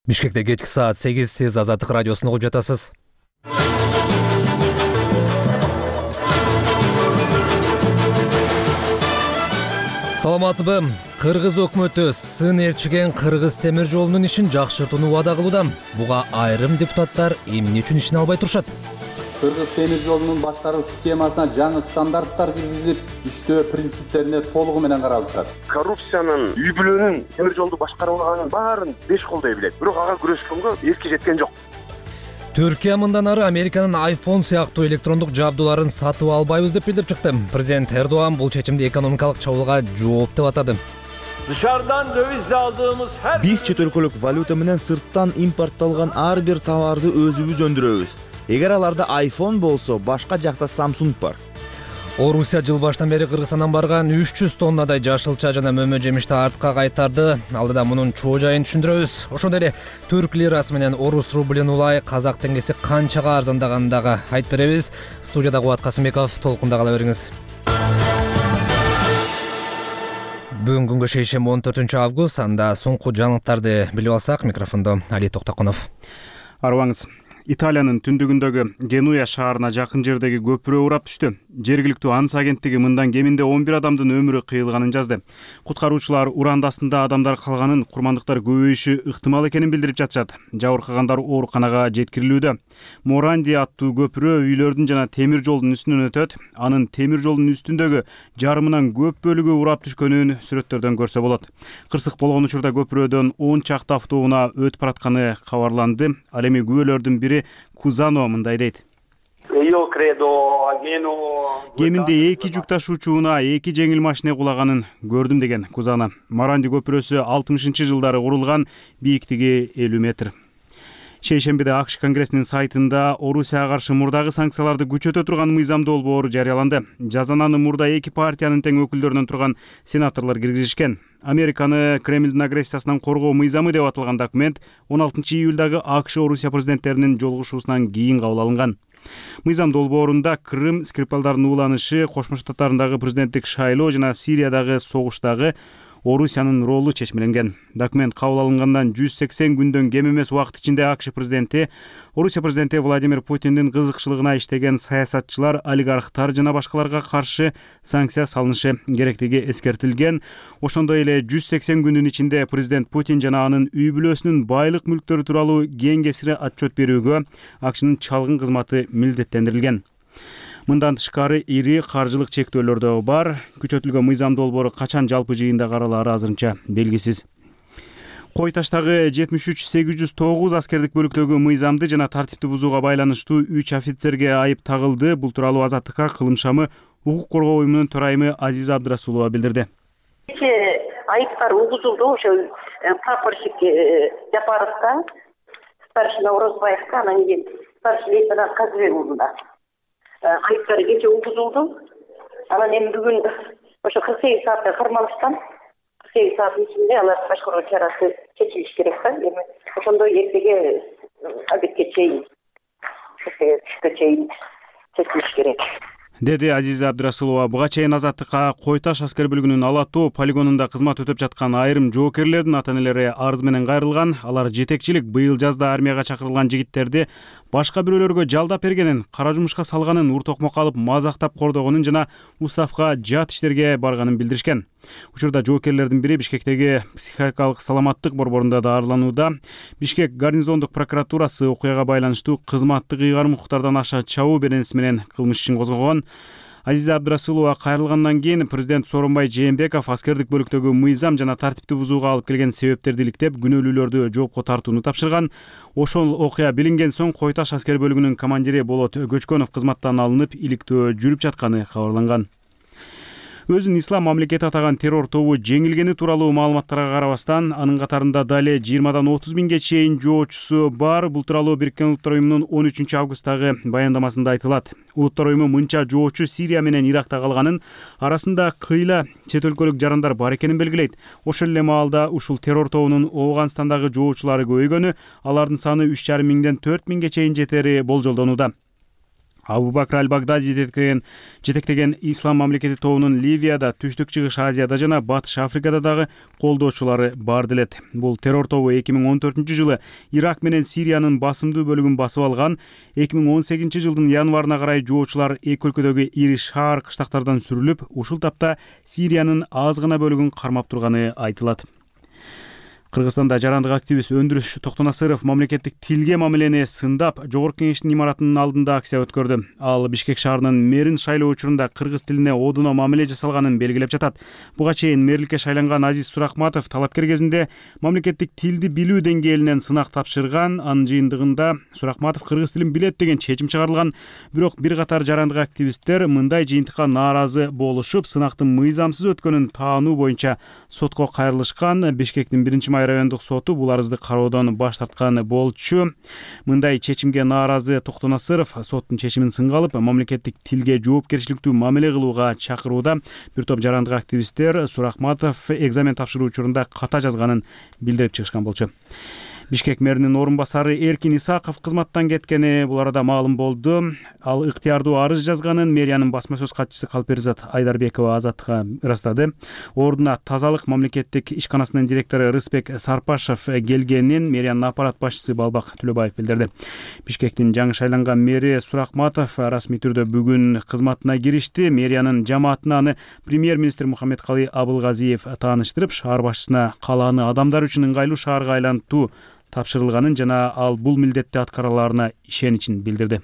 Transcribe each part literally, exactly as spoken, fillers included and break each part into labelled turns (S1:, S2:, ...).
S1: Бишкекте кечки саат сегиз, сиз Азаттык радиосун угуп жатасыз. Саламатсызбы? Кыргыз өкмөтү сын ээрчиген Кыргыз темир жолунун ишин жакшыртууну убада кылууда. Буга айрым депутаттар эмне үчүн ишине албай турушат?
S2: Кыргыз темир жолунун башкаруу системасына жаңы стандарттар киргизилип, иштөө принциптерине толугу менен каралып жатат.
S3: Коррупциянын, үй бүлөнүн темир жолду башкарганын баарын беш колдой билет. Бирок ага күрөшкөнгө эски жеткен жок.
S1: Түркия мындан ары Американын iPhone сыяктуу электрондук жабдууларын сатып албайбыз деп билдирип чыкты. Президент Эрдоган бул чечимди экономикалык чабуулга жооп деп атады.
S4: Dışarıdan döviz aldığımız her
S5: Биз чет өлкөлүк валюта менен сырттан импортталган ар бир товарды өзүбүз өндүрөбүз. Эгер аларда iPhone болсо, башка жакта Samsung бар.
S1: Орусия жыл башынан бери Кыргызстандан барган үч жүз тоннадай жашылча жана мөмө жемишти артка кайтарды. Алдыда мунун чоо жайын түшүндүрөбүз. Ошондой эле түрк лирасы менен орус рублин улай, казак теңгеси канчага арзандаганын дагы айтып беребиз. Студияда Кубат Касымбеков, толкунда кала бериңиз. Бүгүн күнгө шейшемби он төртүнчү август, анда соңку жаңылыктарды билип алсак, микрофондо Али Токтоконов.
S6: Арыбаңыз. Италиянын түндүгүндөгү Генуя шаарына жакын жердеги көпүрө урап түштү. Жергиликтүү АНСА агенттиги мындан кеминде он бир адамдын өмүрү кыйылганын жазды. Куткаруучулар уран астында адамдар калганын, курмандыктар көбөйүшү ыктымал экенин билдирип жатышат. Жабыркагандар ооруканага жеткирилүүдө. Моранди аттуу көпүрө үйлөрдүн жана темир жолдун үстүнөн өтөт. Анын темир жолдун үстүндөгү жарымынан көп бөлүгү урап түшкөнүн сүрөттөрдөн көрсө болот. Кырсык болгон учурда көпүрөдөн он чакты автоунаа өтүп баратканы кабарланды. Ал эми күбөлөрдүн бири Кузано мындай дейт. Кеминде эки жүк ташуучу унаа, эки жеңил машина кулаганын көрдүм деген Кузано. Моранди көпүрөсү алтымышынчы жылдары курулган, бийиктиги элүү метр. Шейшембиде АКШ Конгрессинин сайтында Орусияга каршы мурдагы санкцияларды күчөтө турган мыйзам долбоору жарыяланды. Жазананы мурда эки партиянын тең өкүлдөрүнөн турган сенаторлор киргизишкен. Американы Кремлдин агрессиясынан коргоо мыйзамы деп аталган документ он алтынчы июлдагы АКШ Орусия президенттеринин жолугушуусунан кийин кабыл алынган. Мыйзам долбоорунда Крым, Скрипалдардын ууланышы, Кошмо Штаттардагы президенттик шайлоо жана Сириядагы согуштагы Орусиянын ролу чечмеленген. Документ кабыл алынгандан жүз сексен күндөн кем эмес убакыт ичинде АКШ президенти, Орусия президенти Владимир Путиндин кызыкчылыгына иштеген саясатчылар, олигархтар жана башкаларга каршы санкция салынышы керектиги эскертилген. Ошондой эле жүз сексен күндүн ичинде президент Путин жана анын үй бүлөсүнүн байлык мүлктөрү тууралуу кең кесире отчет берүүгө АКШнын чалгын кызматы милдеттендирилген. Мындан тышкары ири каржылык чектөөлөр да бар. Күчөтүлгөн мыйзам долбоору качан жалпы жыйында каралаары азырынча белгисиз. Кой таштагы жетимиш үч сегиз жүз тогуз аскердик бөлүктөгү мыйзамды жана тартипти бузууга байланыштуу үч офицерге айып тагылды. Бул тууралуу Азаттыкка Кылым шамы укук коргоо уюмунун төрайымы Азиза Абдрасулова билдирди.
S7: Айыптар угузулду ошо прапорщик Жапаровго, старшина Орозбаевго, анан кийин старший лейтенант Казыбековго айыптары кече угузулду. Анан эми бүгүн ошо кырк сегиз саатта кармалышкан. кырк сегиз сааттын ичинде алар башкаруу чарасы чечилиш керек да. Эми ошондой эртеге обедке чейин, түшкө чейин чечилиш керек,
S6: деди Азиза Абдрасулова. Буга чейин Азаттыкка Кой таш аскер бөлүгүнүн Ала тоо полигонунда кызмат өтөп жаткан айрым жоокерлердин ата-энелери арыз менен кайрылган. Алар жетекчилик быйыл жазда армияга чакырылган жигиттерди башка бирөөлөргө жалдап бергенин, кара жумушка салганын, уртокмокко алып мазактап кордогонун жана уставка жат иштерге барганын билдиришкен. Учурда жоокерлердин бири Бишкектеги психикалык саламаттык борборунда даарыланууда. Бишкек гарнизондук прокуратурасы окуяга байланыштуу кызматтык ыйгарым укуктардан аша чабуу беренеси менен кылмыш ишин козгогон. Азиза Абдрасулова кайрылгандан кийин президент Сооронбай Жээнбеков аскердик бөлүктөгү мыйзам жана тартипти бузууга алып келген себептерди иликтеп, күнөөлүүлөрдү жоопко тартууну тапшырган. Ошол окуя билинген соң Кой таш аскер бөлүгүнүн командири Болот Көчкөнов кызматтан алынып, иликтөө жүрүп жатканы кабарланган. Өзүн ислам мамлекети атаган террор тобу жеңилгени тууралуу маалыматтарга карабастан, анын катарында дале жыйырмадан отуз миңге чейин жоочусу бар. Бул тууралуу Бириккен Улуттар уюмунун он үчүнчү августтагы баяндамасында айтылат. Улуттар уюму мынча жоочу Сирия менен Иракта калганын, арасында кыйла чет өлкөлүк жарандар бар экенин белгилейт. Ошол эле маалда ушул террор тобунун Ооганстандагы жоочулары көбөйгөнү, алардын саны үч жарым миңден төрт миңге чейин жетери болжолдонууда. Абу-Бакр аль-Багдади жетектеген жетектеген ислам мамлекети тобунун Ливияда, Түштүк Чыгыш Азияда жана Батыш Африкада дагы колдоочулары бар делет. Бул террор тобу эки миң он төртүнчү жылы Ирак менен Сириянын басымдуу бөлүгүн басып алган. эки миң он сегизинчи жылдын январына карай жоочулар эки өлкөдөгү ири шаар кыштактардан сүрүлүп, ушул тапта Сириянын аз гана бөлүгүн кармап турганы айтылат. Кыргызстанда жарандык активист Өндүрүш Токтонасыров мамлекеттик тилге мамилени сындап, Жогорку Кеңештин имаратынын алдында акция өткөрдү. Ал Бишкек шаарынын мэрин шайлоо учурунда кыргыз тилине одуно мамиле жасалганын белгилеп жатат. Буга чейин мэрликке шайланган Азиз Суракматов талапкер кезинде мамлекеттик тилди билүү деңгээлинен сынак тапшырган. Анын жыйынтыгында Суракматов кыргыз тилин билет деген чечим чыгарылган. Бирок бир катар жарандык активисттер мындай жыйынтыкка нааразы болушуп, сынактын мыйзамсыз өткөнүн таануу боюнча сотко кайрылышкан. Бишкектин биринчи райондук соту бул арызды кароодон баш тарткан болчу. Мындай чечимге нааразы Токтонасыров соттун чечимин сынга алып, мамлекеттик тилге жоопкерчиликтүү мамиле кылууга чакырууда. Бир топ жарандык активисттер Суракматов экзамен тапшыруу учурунда ката жазганын билдирип чыгышкан болчу. Бишкек мэринин орун басары Эркин Исаков кызматтан кеткени бул арада маалым болду. Ал ыктыярдуу арыз жазганын мэриянын басма сөз катчысы Калперизат Айдарбекова Азаттыкка ырастады. Ордуна тазалык мамлекеттик ишканасынын директору Рысбек Сарпашев келгенин мэриянын аппарат башчысы Балбак Төлөбаев билдирди. Бишкектин жаңы шайланган мэри Суракматов расмий түрдө бүгүн кызматына киришти. Мэриянын жамаатына аны премьер-министр Мухаммедкалый Абылгазиев тааныштырып, шаар башчысына калааны адамдар үчүн ыңгайлуу шаарга айлантуу тапшырылганын жана ал бул милдетти аткараларына ишеничин билдирди.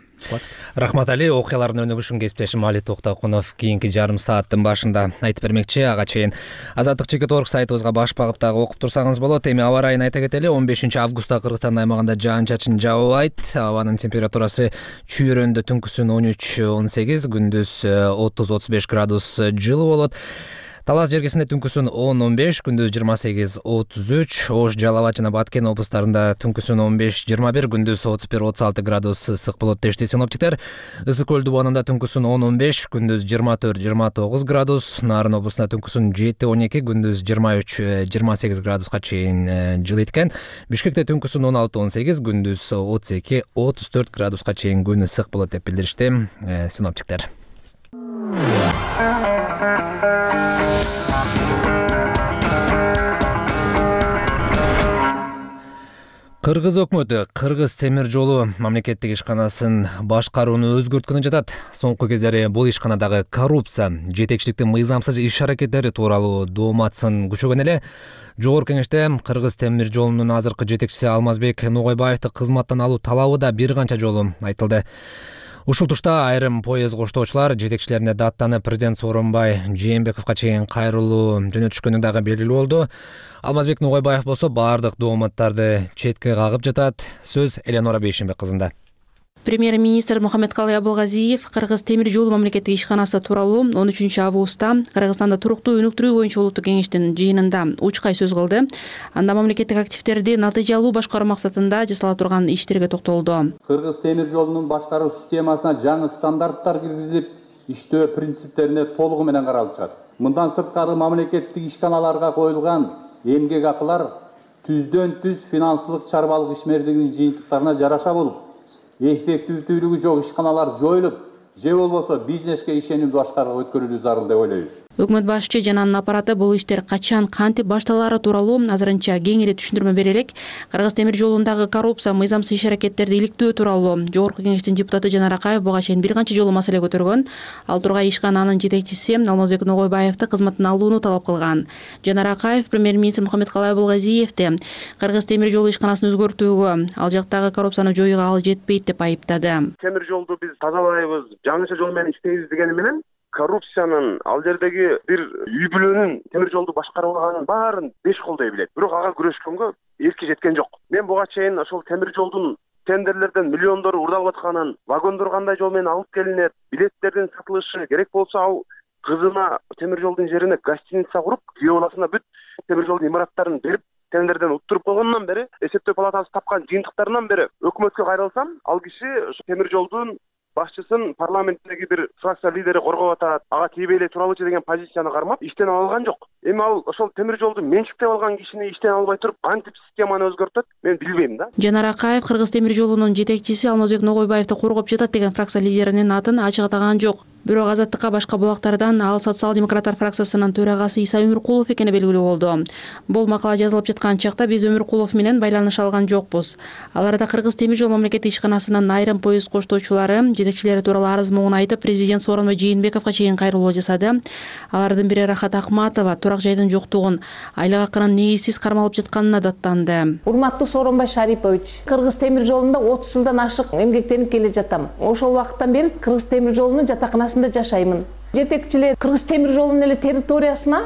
S1: Рахмат Али, окуялардын өнүгүшүн кесиптешим Али Токтокунов кийинки жарым сааттын башында айтып бермекчи. Ага чейин Азаттык чекит орг сайтыбызга баш багып дагы окуп турсаңыз болот. Эми аба ырайын айта кетели. он бешинчи августта Кыргызстандын аймагында жаан чачын жаабайт. Абанын температурасы чүйрөндө түнкүсүн он үч он сегиз, күндүз отуз отуз беш градус жылуу болот. Талас жергесинде түнкүсүн он он беш, күндүз жыйырма сегиз отуз үч, Ош, Жалал абад жана Баткен облустарында түнкүсүн он беш жыйырма бир, күндүз отуз бир отуз алты градус ысык болот дешти синоптиктер. Ысык көл дубанында түнкүсүн он он беш, күндүз жыйырма төрт жыйырма тогуз градус, Нарын облусунда түнкүсүн жети он эки, күндүз жыйырма үч жыйырма сегиз градуска чейин жылыйт экен. Бишкекте түнкүсүн он алты он сегиз, күндүз отуз эки отуз төрт градуска чейин күн ысык болот деп билдиришти синоптиктер. Кыргыз өкмөтү Кыргыз темир жолу мамлекеттик ишканасын башкарууну өзгөрткөнү жатат. Соңку кездери бул ишканадагы коррупция, жетекчиликтин мыйзамсыз иш аракеттери тууралуу дооматсын күчөгөн эле. Жогорку Кеңеште Кыргыз темир жолунун азыркы жетекчиси Алмазбек Ногойбаевди кызматтан алуу талабы да бир канча жолу айтылды. Ушул тушта айрым поезд коштоочулар жетекчилерине даттаны президент Сооронбай Жээнбековго чейин кайрылуу жөнөтүшкөнү дагы белгилүү болду. Алмазбек Ногойбаев болсо баардык дооматтарды четке кагып жатат. Сөз Эленора Бейшенбек кызында.
S8: Премьер-министр Мухаммедкалый Абылгазиев Кыргыз темир жолу мамлекеттик ишканасы тууралуу он үчүнчү августта Кыргызстанда туруктуу өнүктүрүү боюнча улуттук кеңештин жыйынында учкай сөз кылды. Анда мамлекеттик активдерди натыйжалуу башкаруу максатында жасала турган иштерге токтолду.
S2: Кыргыз темир жолунун башкаруу системасына жаңы стандарттар киргизилип, иштөө принциптерине толугу менен каралып чыгат. Мындан сырткары мамлекеттик ишканаларга коюлган эмгек акылар түздөн түз финансылык чарбалык ишмердигинин жыйынтыктарына жараша болуп, эффективдүүлүгү жок ишканалар жоюлуп, же болбосо бизнеске ишенимдүү башкарууга өткөрүлүү зарыл деп ойлойбуз.
S8: Өкмөт башчы жана анын аппараты бул иштер качан кантип башталаары тууралуу азырынча кең эле түшүндүрмө бере элек. Кыргыз темир жолундагы коррупция, мыйзамсыз иш аракеттерди иликтөө тууралуу Жогорку Кеңештин депутаты Жанар Акаев буга чейин бир канча жолу маселе көтөргөн. Ал тургай ишкананын жетекчиси Алмазбек Ногойбаевди кызматтан алууну талап кылган. Жанар Акаев премьер-министр Мухаммедкалый Абылгазиевди Кыргыз темир жолу ишканасын өзгөртүүгө, ал жактагы коррупцияны жоюуга ал жетпейт деп айыптады.
S3: Темир жолду биз тазалайбыз, жаңыча жол менен иштейбиз дегени менен коррупциянын, ал жердеги бир үй бүлөнүн темир жолду башкарганын баарын беш колдой билет. Бирок ага күрөшкөнгө эрки жеткен жок. Мен буга чейин ошол темир жолдун тендерлерден миллиондор урдалып атканын, вагондор кандай жол менен алып келинет, билеттердин сатылышы, керек болсо ал кызына темир жолдун жерине гостиница куруп, күйөө баласына бүт темир жолдун имараттарын берип, тендерден уттуруп койгондон бери, эсептөө палатасы тапкан жыйынтыктарынан бери өкмөткө кайрылсам, ал киши темир жолдун башчысын парламенттеги бир фракция лидери коргоп атат, ага тийбей эле туралычы деген позицияны кармап иштен ала алган жок. Эми ал ошол темир жолду менчиктеп алган кишини иштен албай туруп кантип системаны өзгөртөт, мен билбейм да.
S8: Жанар Акаев Кыргыз темир жолунун жетекчиси Алмазбек Ногойбаевди коргоп жатат деген фракция лидеринин атын ачык атаган жок. Бирок Азаттыкка башка булактардан ал социал-демократтар фракциясынын төрагасы Иса Өмүркулов экени белгилүү болду. Бул макала жазылып жаткан чакта биз Өмүркулов менен байланыша алган жокпуз. Ал арада Кыргыз темир жол мамлекеттик ишканасынын айрым поезд коштоочулары жетекчилери тууралуу арыз могун айтып, президент Сооронбай Жээнбековго чейин кайрылуу жасады. Алардын бири Рахат Акматова турак жайдын жоктугун, айлык акынын негизсиз кармалып жатканына даттанды.
S9: Урматтуу Сооронбай Шарипович, Кыргыз темир жолунда отуз жылдан ашык эмгектенип келе жатам. Ошол убакыттан бери Кыргыз темир жолунун жатаканасында жашаймын. Жетекчилер Кыргыз темир жолунун эле территориясына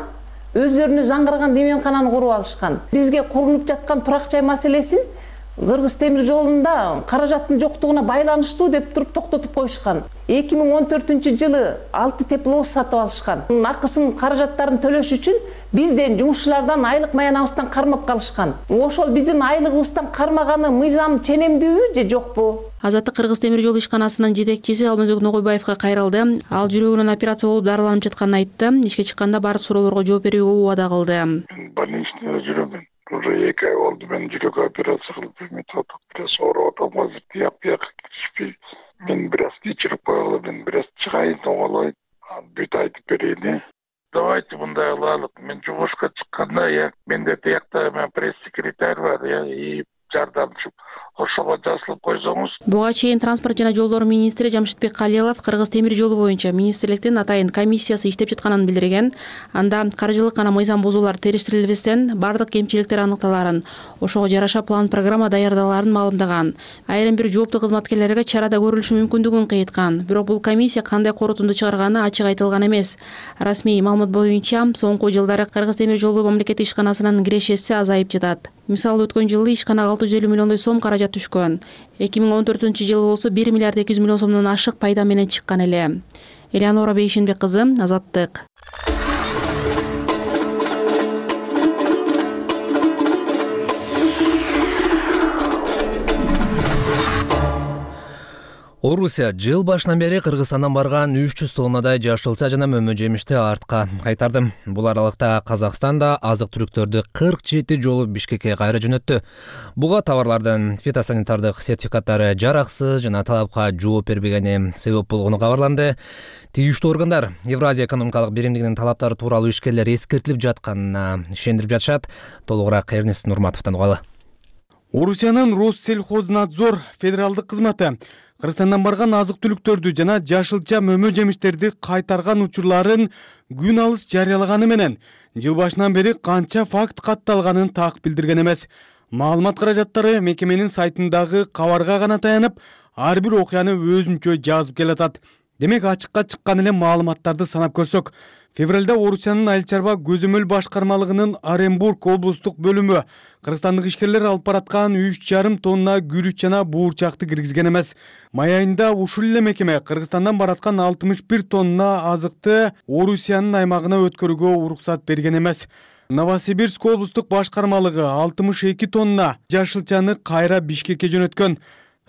S9: өздөрүнө жаңгырган деменкананы куруп алышкан. Бизге курулуп жаткан турак жай маселесин Кыргыз темир жолунда каражаттын жоктугуна байланыштуу деп туруп токтотуп коюшкан. эки миң он төртүнчү жылы алты тепловоз сатып алышкан. Акысын, каражаттарын төлөш үчүн бизден, жумушчулардан айлык маянабыздан кармап калышкан. Ошол биздин айлыгыбыздан кармаганы мыйзам ченемдүүбү же жокпу?
S8: Азаттык Кыргыз темир жол ишканасынын жетекчиси Алмазбек Ногойбаевга кайрылды. Ал жүрөгүнүн операция болуп дарыланып жатканын айтты. Ишке чыкканда баардык суроолорго жооп берүүгө убада кылды.
S10: Больничныйда жүрөмүн. Уже эки ай болду, мен жүрөк операция кылып, методик бираз ооруп атам, азыр тияк бияка киришпей. Мен бираз кечирип койгула, мен бираз чыгайын, оңолоюн, бүт айтып берейин. Давайте мындай кылайлык. Мен жумушка чыкканда, я менде тиякта мен пресс-секретарь бар, я и жардамчым. Ошого жазылып койсоңуз.
S8: Буга чейин транспорт жана жолдор министри Жамшитбек Калилов Кыргыз темир жолу боюнча министрликтин атайын комиссиясы иштеп жатканын билдирген. Анда каржылык жана мыйзам бузуулар териштирилбестен бардык кемчиликтер аныкталарын, ошого жараша план программа даярдаларын маалымдаган. Айрым бир жооптуу кызматкерлерге чарада көрүлүшү мүмкүндүгүн кыйткан. Бирок бул комиссия кандай корутунду чыгарганы ачык айтылган эмес. Расмий маалымат боюнча соңку жылдары Кыргыз темир жолу мамлекеттик ишканасынын кирешеси азайып жатат. Мисалы өткөн жылы ишканага алты жүз элүү миллиондой сом каражат түшкөн. эки миң он төртүнчү жылы болсо бир миллиард эки жүз миллион сомдон ашык пайда менен чыккан эле. Элеонора Бейшенбек кызы, Азаттык.
S1: Орусия жыл башынан бери Кыргызстандан барган үч жүз тоннадай жашылча жана мөмө жемишти артка кайтарды. Бул аралыкта Казакстан да азык-түлүктөрдү кырк жети жолу Бишкекке кайра жөнөттү. Буга товарлардын фитосанитардык сертификаттары жараксыз жана талапка жооп бербегени себеп болгону кабарланды. Тийиштүү органдар Евразия экономикалык биримдигинин талаптары тууралуу ишкерлер эскертилип жатканына ишендирип жатышат. Толугураак Эрнест Нурматовдон угалы.
S11: Орусиянын Россельхознадзор федералдык кызматы Кыргызстандан барган азык-түлүктөрдү жана жашылча мөмө жемиштерди кайтарган учурларын күн алыс жарыялаганы менен жыл башынан бери канча факт катталганын так билдирген эмес. Маалымат каражаттары мекеменин сайтындагы кабарга гана таянып, ар бир окуяны өзүнчө жазып келатат. Демек ачыкка чыккан эле маалыматтарды санап көрсөк, февралда Орусиянын айыл чарба көзөмөл башкармалыгынын Оренбург облустук бөлүмү кыргызстандык ишкерлер алып бараткан үч жарым тонна күрүч жана буурчакты киргизген эмес. Май айында ушул эле мекеме Кыргызстандан бараткан алтымыш бир тонна азыкты Орусиянын аймагына өткөрүүгө уруксат берген эмес. Новосибирск облустук башкармалыгы алтымыш эки тонна жашылчаны кайра Бишкекке жөнөткөн.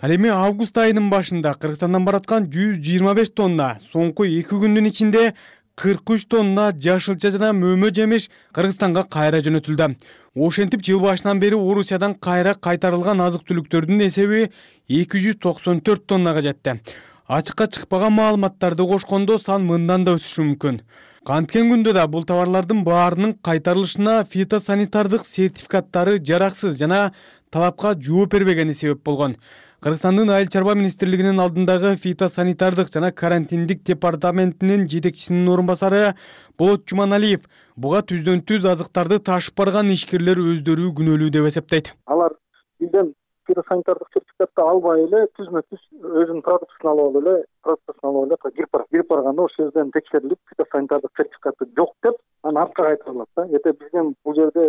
S11: Ал эми август айынын башында Кыргызстандан бараткан жүз жыйырма беш тонна, соңку эки күндүн ичинде кырк үч тонна жашылча жана мөмө жемиш Кыргызстанга кайра жөнөтүлдү. Ошентип жыл башынан бери Орусиядан кайра кайтарылган азык-түлүктөрдүн эсеби эки жүз токсон төрт тоннага жетти. Ачыкка чыкпаган маалыматтарды кошкондо сан мындан да өсүшү мүмкүн. Канткен күндө да бул товарлардын баарынын кайтарылышына фитосанитардык сертификаттары жараксыз жана талапка жооп бербегени себеп болгон. Кыргызстандын айыл чарба министрлигинин алдындагы фитосанитардык жана карантиндик департаментинин жетекчисинин орун басары Болот Жуманалиев буга түздөн түз азыктарды ташып барган ишкерлер өздөрү күнөөлүү деп эсептейт.
S12: Алар бизден фитосанитардык сертификатты албай эле түзмө түз өзүнүн продуктысын алып эле продуктысын алып эле кирип барат. Кирип барганда ошол жерден текшерилип фитосанитардык сертификаты жок деп анан артка кайтарылат да. Эте биздин бул жерде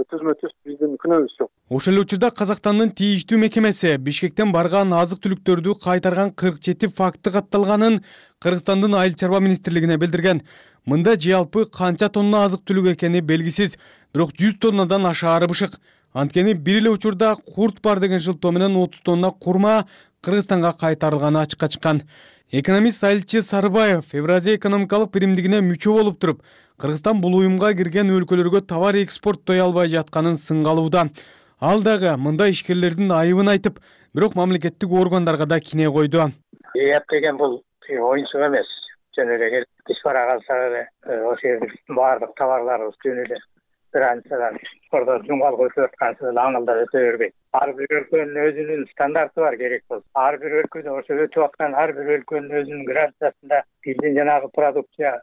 S12: түзмө түз биздин күнөөбүз жок.
S11: Ошол эле учурда Казакстандын тийиштүү мекемеси Бишкектен барган азык-түлүктөрдү кайтарган кырк жети факты катталганын Кыргызстандын айыл чарба министрлигине билдирген. Мында жалпы канча тонна азык-түлүк экени белгисиз, бирок жүз тоннадан ашаары бышык. Анткени бир эле учурда курт бар деген шылтоо менен отуз тонна курма, Кыргызстанга кайтарылганы ачыкка чыккан. Экономист Салилчи Сарыбаев Евразия экономикалык биримдигине мүчө болуп туруп, Кыргызстан бул уюмга кирген өлкөлөргө товар экспорттой албай жатканын сынгалууда. Ал дагы мындай ишкерлердин айыбын айтып, бирок мамлекеттик органдарга да кине койду.
S13: Эп деген бул оюнчук эмес. Жөн эле келип иш бара калса эле ошол жердин баардык товарларыбыз жөн эле границадан ордо жумгал коюп аткансы эле аңылдап өтө бербейт. Ар бир өлкөнүн өзүнүн стандарты бар керек болсо. Ар бир өлкөдө ошо өтүп аткан ар бир өлкөнүн өзүнүн границасында биздин жанагы продукция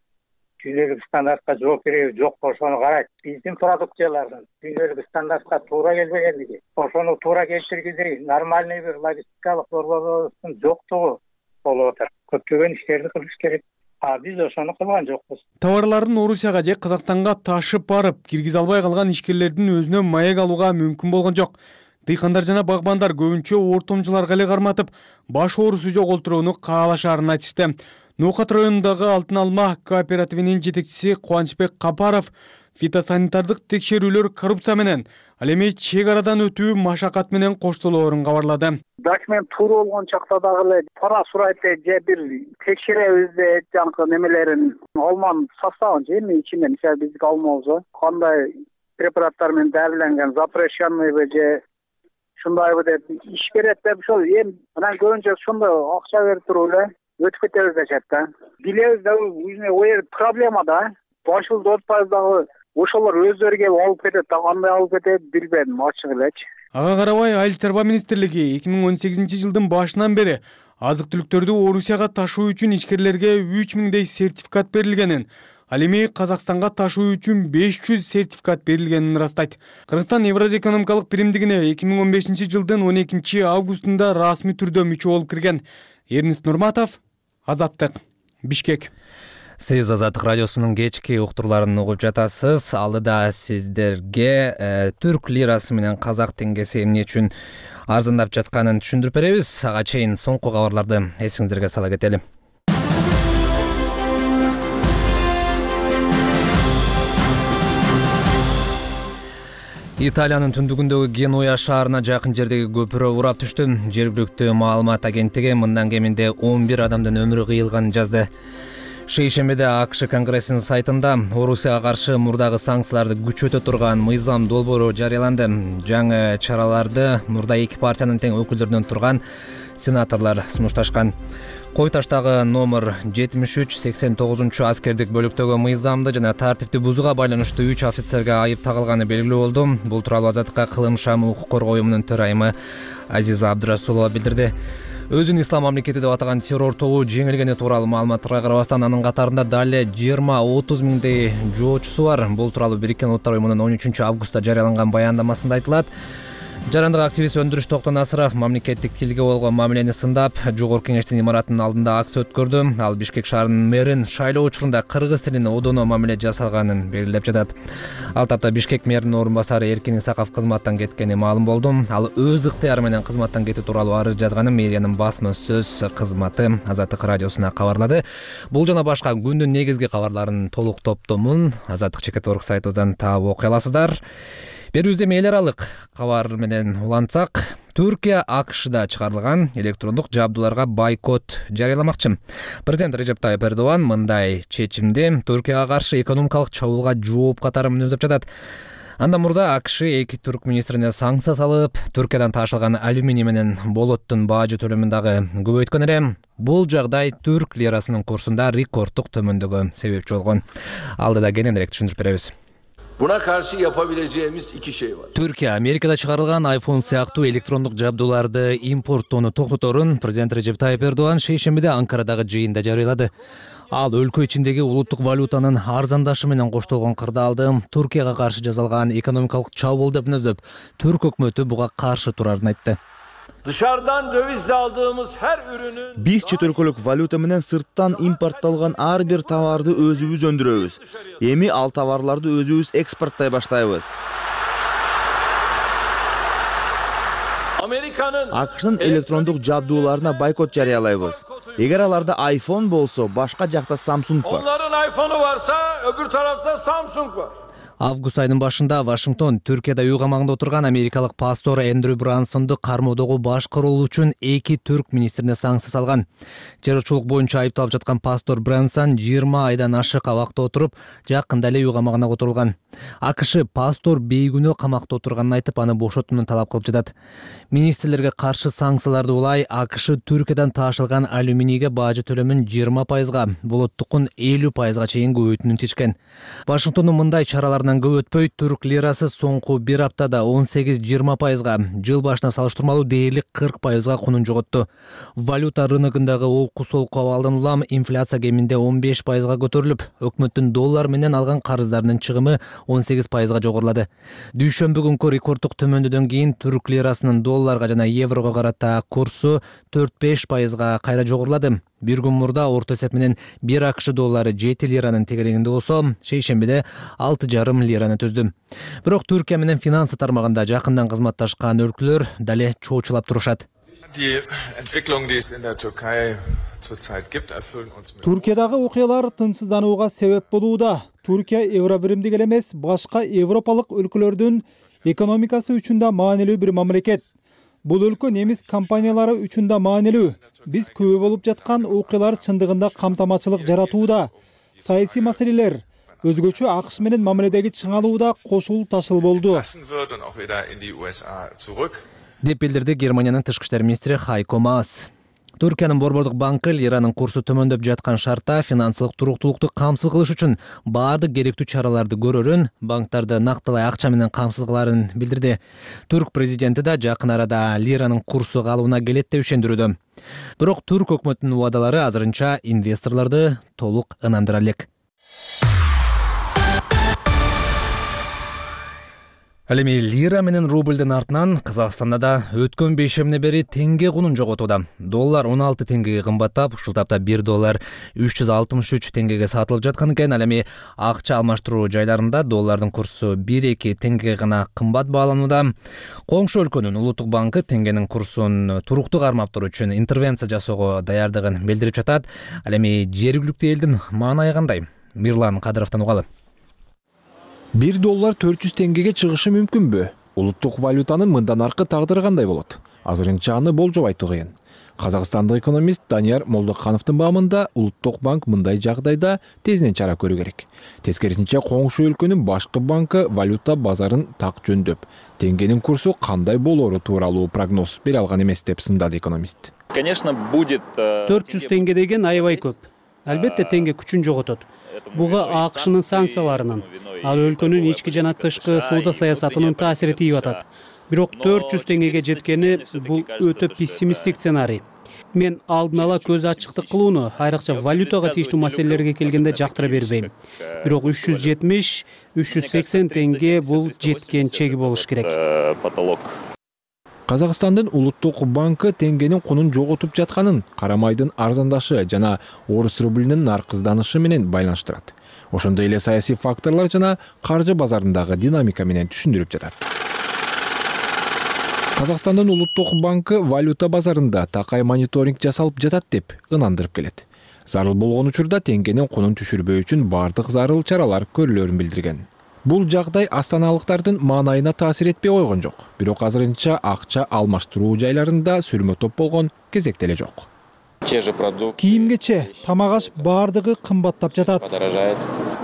S13: дүйнөлүк стандартка жооп береби жокпу ошону карайт. Биздин продукциялардын дүйнөлүк стандартка туура келбегендиги, ошону туура келтиргидей нормальный бир логистикалык борборубуздун жоктугу болуп атат. Көптөгөн иштерди кылыш керек. А биз ошону кылган жокпуз.
S11: Товарларын Орусияга же Казакстанга ташып барып, киргизе албай калган ишкерлердин өзүнө маек алууга мүмкүн болгон жок. Дыйкандар жана багбандар көбүнчө ортомчуларга эле карматып, баш оорусу жоготурууну каалашаарын айтышты. Ноокат районундагы Алтын алма кооперативинин жетекчиси Кубанычбек Капаров фитосанитардык текшерүүлөр коррупция менен, ал эми чек арадан өтүү машакат менен коштолоорун кабарлады.
S12: Документ туура болгон чакта дагы эле пара сурайт же бир текшеребиз деп жанакы немелерин алманын составын же эми ичинен мисалы биздики алмабызбы кандай препараттар менен дәріленген запрещенныйбы же шундайбы деп иш берет деп ошол эми анан көбүнчө ошондой акча берип туруп эле өтүп кетебиз дешет да. Билебиз да ой проблема да. Башылды отпайбыз дагы ошолор өздөрү келип алып кетет да, кандай алып кетет билбедим ачык элечи.
S11: Ага карабай Айыл чарба министрлиги эки миң он сегизинчи жылдын башынан бери азык-түлүктөрдү Орусияга ташуу үчүн ишкерлерге үч миңдей сертификат берилгенин, ал эми Казакстанга ташуу үчүн беш жүз сертификат берилгенин ырастайт. Кыргызстан Евразия экономикалык биримдигине эки миң он бешинчи жылдын он экинчи августунда расмий түрдө мүчө болуп кирген. Эрнис Нурматов, Азаттык, Бишкек.
S1: Сиз Азаттык радиосунун кечки уктурларын угуп жатасыз. Алдыда сиздерге э, түрк лирасы менен казак теңгеси эмне үчүн арзандап жатканын түшүндүрүп беребиз. Ага чейин соңку кабарларды эсиңиздерге сала кетели. Италиянын түндүгүндөгү Генуя шаарына жакын жердеги көпүрө урап түштү. Жергиликтүү маалымат агенттиги мындан кеминде он бир адамдын өмүрү кыйылганын жазды. Шейшембиде АКШ Конгрессинин сайтында Орусияга каршы мурдагы санкцияларды күчөтө турган мыйзам долбоору жарыяланды. Жаңы чараларды мурда эки партиянын тең өкүлдөрүнөн турган сенаторлор сунушташкан. Кой таштагы номер жетимиш үч сексен тогузунчу аскердик бөлүктөгү мыйзамды жана тартипти бузууга байланыштуу үч офицерге айып тагылганы белгилүү болду. Бул тууралуу Азаттыкка Кылым шам укук коргоо уюмунун төрайымы Азиза Абдырасулова билдирди. Өзүн ислам мамлекети деп атаган террор тобу жеңилгени тууралуу маалыматтарга карабастан анын катарында дале жыйырма отуз миңдей жоочусу бар. Бул тууралуу Бириккен Улуттар уюмунун он үчүнчү августта жарыяланган баяндамасында айтылат. Жарандык активист Өндүрүш Токтонасыров мамлекеттик тилге болгон мамилени сындап, Жогорку Кеңештин имаратынын алдында акция өткөрдү. Ал Бишкек шаарынын мэрин шайлоо учурунда кыргыз тилине одоно мамиле жасалганын белгилеп жатат. Ал тапта Бишкек мэринин орун басары Эркин Исаков кызматтан кеткени маалым болду. Ал өз ыктыяры менен кызматтан кетүү тууралуу арыз жазганын мэриянын басма сөз кызматы Азаттык радиосуна кабарлады. Бул жана башка күндүн негизги кабарларын толук топтомун Азаттык чекит орг сайтыбыздан таап окуй аласыздар. Берүүбүздө эл аралык кабар менен улантсак, Түркия АКШда чыгарылган электрондук жабдууларга бойкот жарыяламакчы. Президент Режеп Тайып Эрдоган мындай чечимди Түркияга каршы экономикалык чабуулга жооп катары мүнөздөп жатат. Андан мурда АКШ эки түрк министрине санкция салып, Түркиядан ташылган алюминий менен болоттун баажы төлөмүн дагы көбөйткөн эле. Бул жагдай түрк лирасынын курсунда рекорддук төмөндөгө себепчи болгон. Алдыда кененирээк түшүндүрүп беребиз.
S4: Buna karşı yapabileceğimiz iki şey var.
S1: Türkiye, Amerika'da çıkarılgan iPhone сыяктуу электрондук жабдууларды импорттоону токтоторун президент Режеп Тайып Эрдоган шейшембиде Анкарадагы жыйында жарыялады. Ал өлкө ичиндеги улуттук валютанын арзандашы менен коштолгон кырдаалды Түркияга каршы жасалган экономикалык чабуул деп мүнөздөп, түрк өкмөтү буга каршы турарын айтты.
S4: Dışarıdan dövizle aldığımız her ürünün
S5: Биз чет өлкөлүк валюта менен сырттан импортталган ар бир товарды өзүбүз өндүрөбүз. Эми ал товарларды өзүбүз экспорттой баштайбыз. АКШнын электрондук жабдууларына бойкот жарыялайбыз. Эгер аларда iPhone болсо, башка жакта Samsung бар.
S4: Onların iPhone'u varsa öbür tarafta Samsung var.
S1: Август айынын башында Вашингтон Түркияда үй камагында отурган америкалык пастор Эндрю Брансонду кармоодогу башкы рол үчүн эки түрк министрине санкция салган. Террорчулук боюнча айыпталып жаткан пастор Брансон жыйырма айдан ашык абакта отуруп, жакында эле үй камагына отурулган. АКШ пастор бейгүнөө камакта отурганын айтып, аны бошотууну талап кылып жатат. Министрлерге каршы санкцияларды улай АКШ Түркиядан таашылган алюминийге бажы төлөмүн жыйырма пайызга, болоттукун элүү пайызга чейин көбөйтүүнү чечкен. Вашингтондун мындай чараларынан көп өтпөй түрк лирасы соңку бир аптада он сегиз жыйырма пайызга, жыл башына салыштырмалуу дээрлик кырк пайызга кунун жоготту. Валюта рыногундагы олку-солку абалдан улам инфляция кеминде он беш пайызга көтөрүлүп, өкмөттүн доллар менен алган карыздарынын чыгымы он сегиз пайызга жогорулады. Дүйшөмбү күнкү рекорддук төмөндөдөн кийин түрк лирасынын долларга жана еврого карата курсу төрт беш пайызга кайра жогорулады. Бир күн мурда орто эсеп менен бир АКШ доллары жети лиранын тегерегинде болсо, шейшембиде алты жарым лираны түздү. Бирок Түркия менен финансы тармагында жакындан кызматташкан өлкөлөр дале чоочулап турушат.
S14: Түркиядагы окуялар тынчсызданууга себеп болууда. Түркия евробиримдик эле эмес, башка европалык өлкөлөрдүн экономикасы үчүн да маанилүү бир мамлекет. Бул өлкө немис компаниялары үчүн да маанилүү. Биз күбө болуп жаткан окуялар чындыгында камтамачылык жаратууда. Саясий маселелер, өзгөчө АКШ менен мамиледеги чыңалууда кошул ташыл болду,
S1: деп билдирди Германиянын тышкы иштер министри Хайко Маас. Түркиянын Борбордук банкы лиранын курсу төмөндөп жаткан шартта финансылык туруктуулукту камсыз кылыш үчүн баардык керектүү чараларды көрөрүн, банктарды нактылай акча менен камсыз кыларын билдирди. Түрк президенти да жакын арада лиранын курсу калыбына келет деп ишендирүүдө. Бирок түрк өкмөтүнүн убадалары азырынча инвесторлорду толук ынандыра элек. Ал эми лира менен рублдун артынан Казакстанда да өткөн бейшемине бери теңге кунун жоготууда. Доллар он алты теңгеге кымбаттап, ушул тапта бир доллар үч жүз алтымыш үч теңгеге сатылып жаткан экен. Ал эми акча алмаштыруу жайларында доллардын курсу бир эки теңгеге гана кымбат бааланууда. Коңшу өлкөнүн улуттук банкы теңгенин курсун туруктуу кармап туруу үчүн интервенция жасоого даярдыгын билдирип жатат. Ал эми жергиликтүү элдин маанайы кандай? Мирлан Кадыровдон угалы.
S15: бир доллар төрт жүз теңгеге чыгышы мүмкүнбү? Улуттук валютанын мындан аркы тагдыры кандай болот? Азырынча аны болжоп айтуу кыйын. Казакстандык экономист Данияр Молдокановдун баамында Улуттук банк мындай жагдайда тезинен чара көрүү керек. Тескерисинче, коңшу өлкөнүн башкы банкы валюта базарын так жөндөп, теңгенин курсу кандай болоору тууралуу прогноз бере алган эмес деп сындады экономист.
S16: Конечно, будет
S17: төрт жүз теңге деген аябай көп. Албетте теңге күчүн жоготот. Буга АКШнын санкцияларынын, ал өлкөнүн ички жана тышкы соода саясатынын таасири тийип атат. Бирок төрт жүз теңгеге жеткени бул өтө пессимисттик сценарий. Мен алдын ала көз ачыктык кылууну, айрыкча валютага тийиштүү маселелерге келгенде жактыра бербейм. Бирок үч жүз жетимиш үч жүз сексен теңге бул жеткен чеги болуш керек.
S16: Потолок.
S15: Казакстандын улуттук банкы теңгенин кунун жоготуп жатканын карамайдын арзандашы жана орус рублинин наркызданышы менен байланыштырат. Ошондой эле саясий факторлор жана каржы базарындагы динамика менен түшүндүрүп жатат. Казакстандын улуттук банкы валюта базарында такай мониторинг жасалып жатат деп ынандырып келет. Зарыл болгон учурда теңгенин кунун түшүрбөө үчүн бардык зарыл чаралар көрүлөрүн билдирген. Бул жагдай астаналыктардын маанайына таасир этпей койгон жок. Бирок азырынча акча алмаштыруу жайларында сүрмө топ болгон кезек деле жок.
S14: Кийим-кече, тамак-аш бардыгы кымбаттап жатат.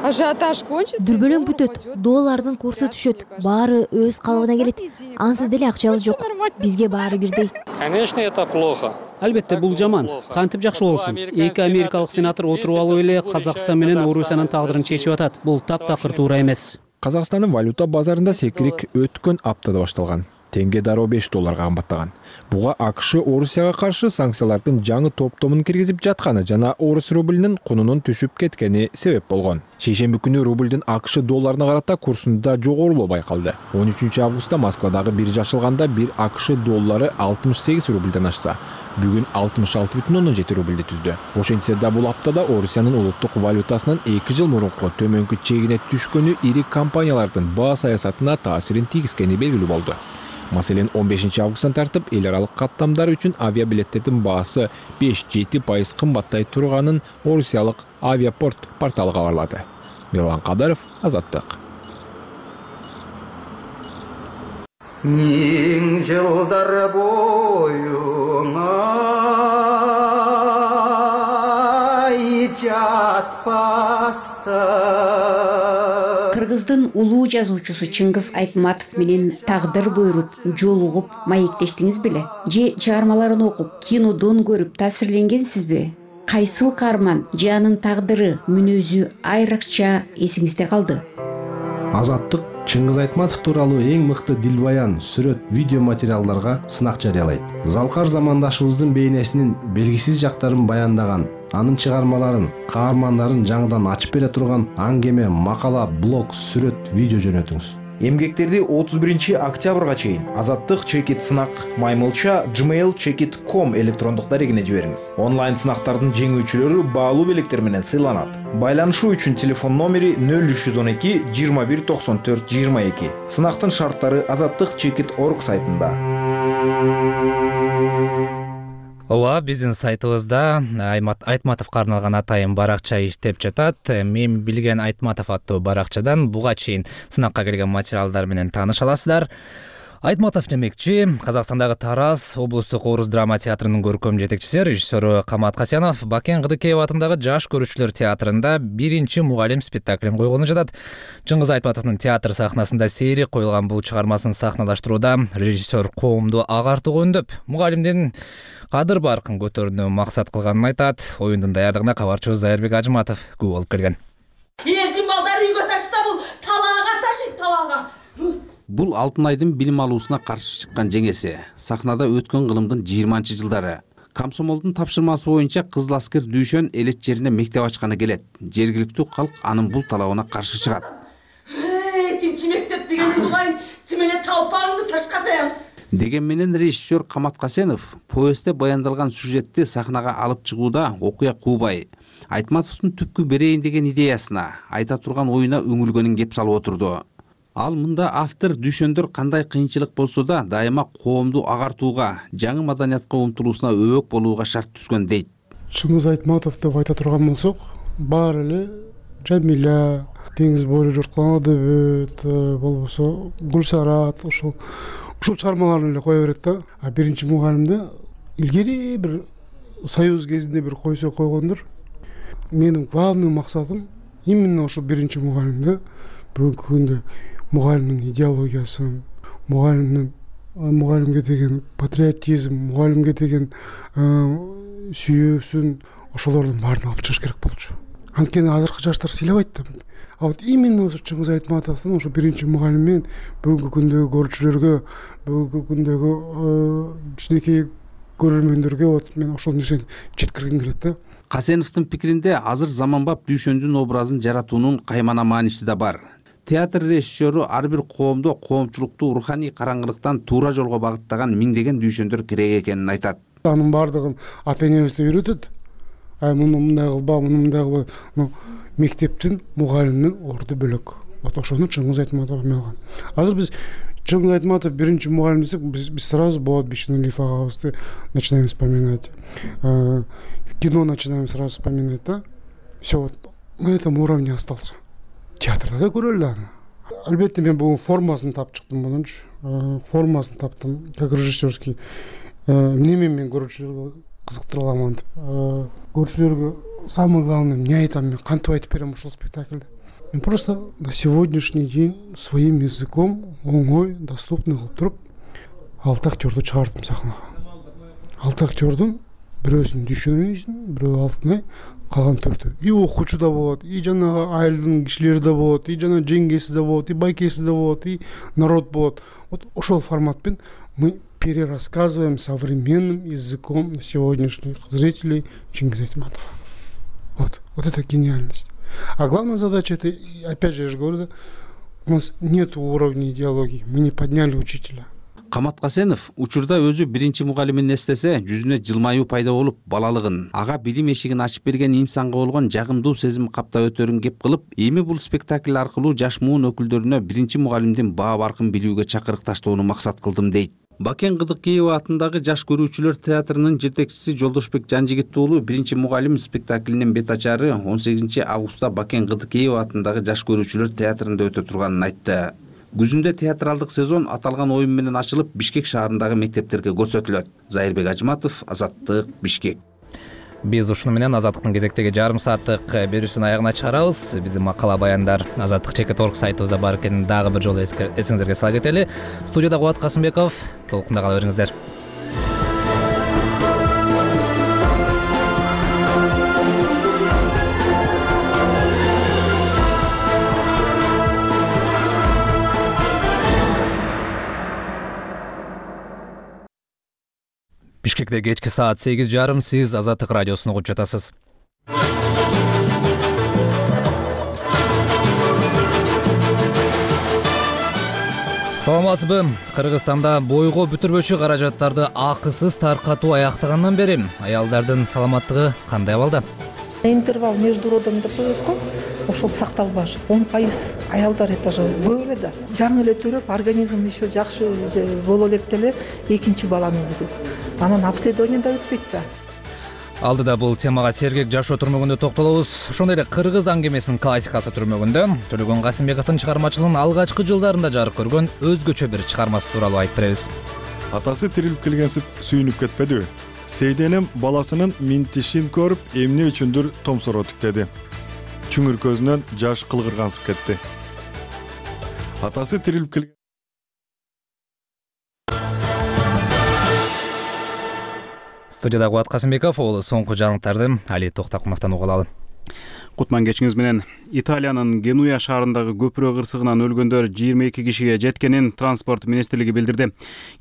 S18: Дүрбөлөң бүтөт, доллардын курсу түшөт, баары өз калыбына келет. Ансыз деле акчабыз жок. Бизге баары бирдей.
S17: Конечно, это плохо. Албетте бул жаман. Кантип жакшы болсун? Эки америкалык сенатор отуруп алып эле Казакстан менен Орусиянын тагдырын чечип атат. Бул таптакыр туура эмес.
S15: Казакстандын валюта базарында секирик өткөн аптада башталган. Теңге дароо беш долларга кымбаттаган. Буга АКШ Орусияга каршы санкциялардын жаңы топтомун киргизип жатканы жана орус рублинин кунунун түшүп кеткени себеп болгон. Шейшемби күнү рублдун АКШ долларына карата курсунда жогорулоо байкалды. он үчүнчү августта Москвадагы биржа ачылганда бир АКШ доллары алтымыш сегиз рублден ашса, бүгүн алтымыш алты бүтүн ондон жети рублди түздү. Ошентсе да бул аптада Орусиянын улуттук валютасынын эки жыл мурунку төмөнкү чегине түшкөнү ири компаниялардын баа саясатына таасирин тийгизгени белгилүү болду. Маселен, он бешинчи августтан тартып эл аралык каттамдар үчүн авиабилеттердин баасы беш жети пайыз кымбаттай турганын Орусиялык Авиапорт порталы кабарлады. Мирлан Кадыров, Азаттык.
S19: миң жылдар боюңа жатпастан.
S20: Кыргыздын улуу жазуучусу Чыңгыз Айтматов менен тагдыр буйруп, жолугуп, маектештиңиз беле? Же чыгармаларын окуп, кинодон көрүп таасирленгенсизби? Кайсыл каарман же анын тагдыры, мүнөзү айрыкча эсиңизде калды?
S21: Азаттык Чыңгыз Айтматов тууралуу эң мыкты дилбаян, сүрөт, видео материалдарга сынак жарыялайт. Залкар замандашыбыздын бейнесинин белгисиз жактарын баяндаган, анын чыгармаларын, каармандарын жаңыдан ачып бере турган аңгеме, макала, блог, сүрөт, видео жөнөтүңүз.
S5: Эмгектерди отуз биринчи октябрга чейин Азаттык чекит сынак маймылча gmail chekit точка com электрондук дарегине жибериңиз. Онлайн сынактардын жеңүүчүлөрү баалуу белектер менен сыйланат. Байланышуу үчүн телефон номери нөл үч жүз он эки жыйырма бир токсон төрт жыйырма эки. Сынактын шарттары азаттык чекит точка орг сайтында.
S1: Ооба, биздин сайтыбызда Айтматовго арналган атайын баракча иштеп жатат. Мен билген Айтматов аттуу баракчадан буга чейин сынакка келген материалдар менен тааныша аласыздар. Айтматов демекчи, Казакстандагы Тараз облустук Орус драма театрынын көркөм жетекчиси, режиссеру Камат Касянов Бакен Кыдыкеев атындагы Жаш көрүүчүлөр театрында биринчи мугалим спектаклин койгону жатат. Чыңгыз Айтматовдун театр сахнасында сейри коюлган бул чыгармасын сахналаштырууда режиссер коомду агартууга үндөп, мугалимдин кадыр баркын көтөрүүнү максат кылганын айтат. Оюндун даярдыгына кабарчыбыз Айырбек Ажыматов күбө болуп келген.
S22: Эркин балдар үйгө ташса бул талаага ташыйт, талаага.
S23: Бул Алтын айдын билим алуусуна каршы чыккан жеңеси. Сахнада өткөн кылымдын жыйырманчы жылдары. Комсомолдун тапшырмасы боюнча Кызыл аскер Дүйшөн элет жерине мектеп ачканы келет. Жергиликтүү калк анын бул талабына каршы чыгат.
S22: Экинчи мектеп дегенин угайын, тимеле талпаңды ташка жаям.
S23: Деген менен режиссер Камат Касенов повестте баяндалган сюжетти сахнага алып чыгууда окуя куубай, Айтматовдун түпкү берейин деген идеясына, айта турган оюна үңүлгөнүн кеп салып отурду. Ал мында автор дүйшөндөр кандай кыйынчылык болсо да дайыма коомду агартууга, жаңы маданиятка умтулуусуна өбөк болууга шарт түзгөн дейт.
S24: Чыңгыз Айтматов деп айта турган болсок, баары эле Жамиля, деңиз бойлуу жорткалан адабият, болбосо Гүлсарат, ошол ушул чыгармаларын эле кое берет да. А биринчи мугалимде илгери бир союз кезинде бир койсо койгондур. Менин главный максатым именно ошол биринчи мугалимде бүгүнкү күндө мугалимдин идеологиясын, мугалимдин мугалимге деген патриотизм, мугалимге деген сүйүүсүн ошолордун баарын алып чыгыш керек болчу. Анткени азыркы жаштар сыйлабайт да. А вот именно ошо Чыңгыз Айтматовдун ошо биринчи мугалим менен бүгүнкү күндөгү көрүүчүлөргө, бүгүнкү күндөгү кичинекей көрөрмөндөргө вот мен ошол нерсени жеткиргим келет да.
S23: Касеновдун пикиринде азыр заманбап Дүйшөндүн образын жаратуунун каймана мааниси да бар. Театр режиссеру ар бир коомдо коомчулукту руханий караңгылыктан туура жолго багыттаган миңдеген дүйшөндөр керек экенин айтат.
S24: Анын баардыгын ата энебизде үйрөтөт. Ай муну мындай кылба, муну мындай кылба. Мектептин мугалиминин орду бөлөк. Вот ошону Чыңгыз Айтматов алган. Азыр биз Чыңгыз Айтматов биринчи мугалим десек, биз сразу Болот Бишнуалиев агабызды начинаем вспоминать. Кино начинаем сразу вспоминать, да? Все вот на этом уровне остался. Театрда да көрөлү аны. Албетте мен бүгүн формасын тап чыктым мунунчу. Формасын таптым, как режиссерский. Эмне мен көрүүчүлөргө кызыктыра аламан деп. Көрүүчүлөргө самое главное, эмне айтам мен, кантип айтып берем ушул спектакльде. Мен просто на сегодняшний день своим языком оңой, доступный кылып туруп алты актёрду чыгардым сахнага. Алты актёрдун бирөөсүн Дүйшөн ойнойсун, бирөө Алтынай, калган төртөө. И окуучу да болот, и жанагы айылдын кишилери да болот, и жана жеңгеси да болот, и байкеси да болот, и народ болот. Вот ошол форматпен мы перерассказываем современным языком на сегодняшних зрителей Чыңгыз Айтматова. Вот, вот это гениальность. А главная задача это, опять же, я же говорю, да, у нас нет уровня идеологии, мы не подняли учителя.
S23: Камат Касенов учурда өзү биринчи мугалимин эстесе, жүзүнө жылмаюу пайда болуп, балалыгын, ага билим эшигин ачып берген инсанга болгон жагымдуу сезим каптап өтөрүн кеп кылып, эми бул спектакль аркылуу жаш муун өкүлдөрүнө биринчи мугалимдин баа баркын билүүгө чакырык таштоону максат кылдым дейт. Бакен Кыдыкеев атындагы Жаш көрүүчүлөр театрынын жетекчиси Жолдошбек Жанжигит уулу биринчи мугалим спектаклинин бет ачары он сегизинчи августта Бакен Кыдыкеев атындагы Жаш көрүүчүлөр театрында өтө турганын айтты. Күзүндө театралдык сезон аталган оюн менен ачылып, Бишкек шаарындагы мектептерге көрсөтүлөт. Зайырбек Ажыматов, Азаттык, Бишкек.
S1: Биз ушуну менен Азаттыктын кезектеги жарым сааттык берүүсүнүн аягына чыгарабыз. Биздин макала баяндар азаттык чекит точка орг сайтыбызда бар экенин дагы бир жолу эсиңизерге сала кетели. Студияда Кубат Касымбеков. Толкунда кала бериңиздер. Бишкекте кечки саат сегиз жарым, сиз Азаттык радиосун угуп жатасыз. Саламатсызбы? Кыргызстанда бойго бүтүрбөчү каражаттарды акысыз таркатуу аяктагандан бери аялдардын саламаттыгы кандай абалда?
S2: Интервал между родами деп коебуз го, ошол сакталбаш. он пайыз аялдар это же көп эле да. Жаңы эле төрөп, организм еще жакшы боло элек деле экинчи баланы өлүп. Анан обследование да өтпөйт да.
S1: Алдыда бул темага сергек жашоо түрмөгүндө токтолобуз. Ошондой эле кыргыз аңгемесинин классикасы түрмөгүндө Төлөгөн Касымбековдун чыгармачылыгынын алгачкы жылдарында жарык көргөн өзгөчө бир чыгармасы тууралуу айтып беребиз.
S3: Атасы тирилип келгенсип сүйүнүп кетпедиби? Сейденем баласынын минтишин көрүп, эмне үчүндүр томсоро тиктеди. Чүңүр көзүнөн жаш кылгыргансып кетти. Атасы тирилип келген
S1: Студияда Кубат Касымбеков, ол соңку жаңылыктарды Али Токтакуновдон угуп алалы.
S6: Кутман кечиңиз менен. Италиянын Генуя шаарындагы көпүрө кырсыгынан өлгөндөр жыйырма эки кишиге жеткенин транспорт министрлиги билдирди.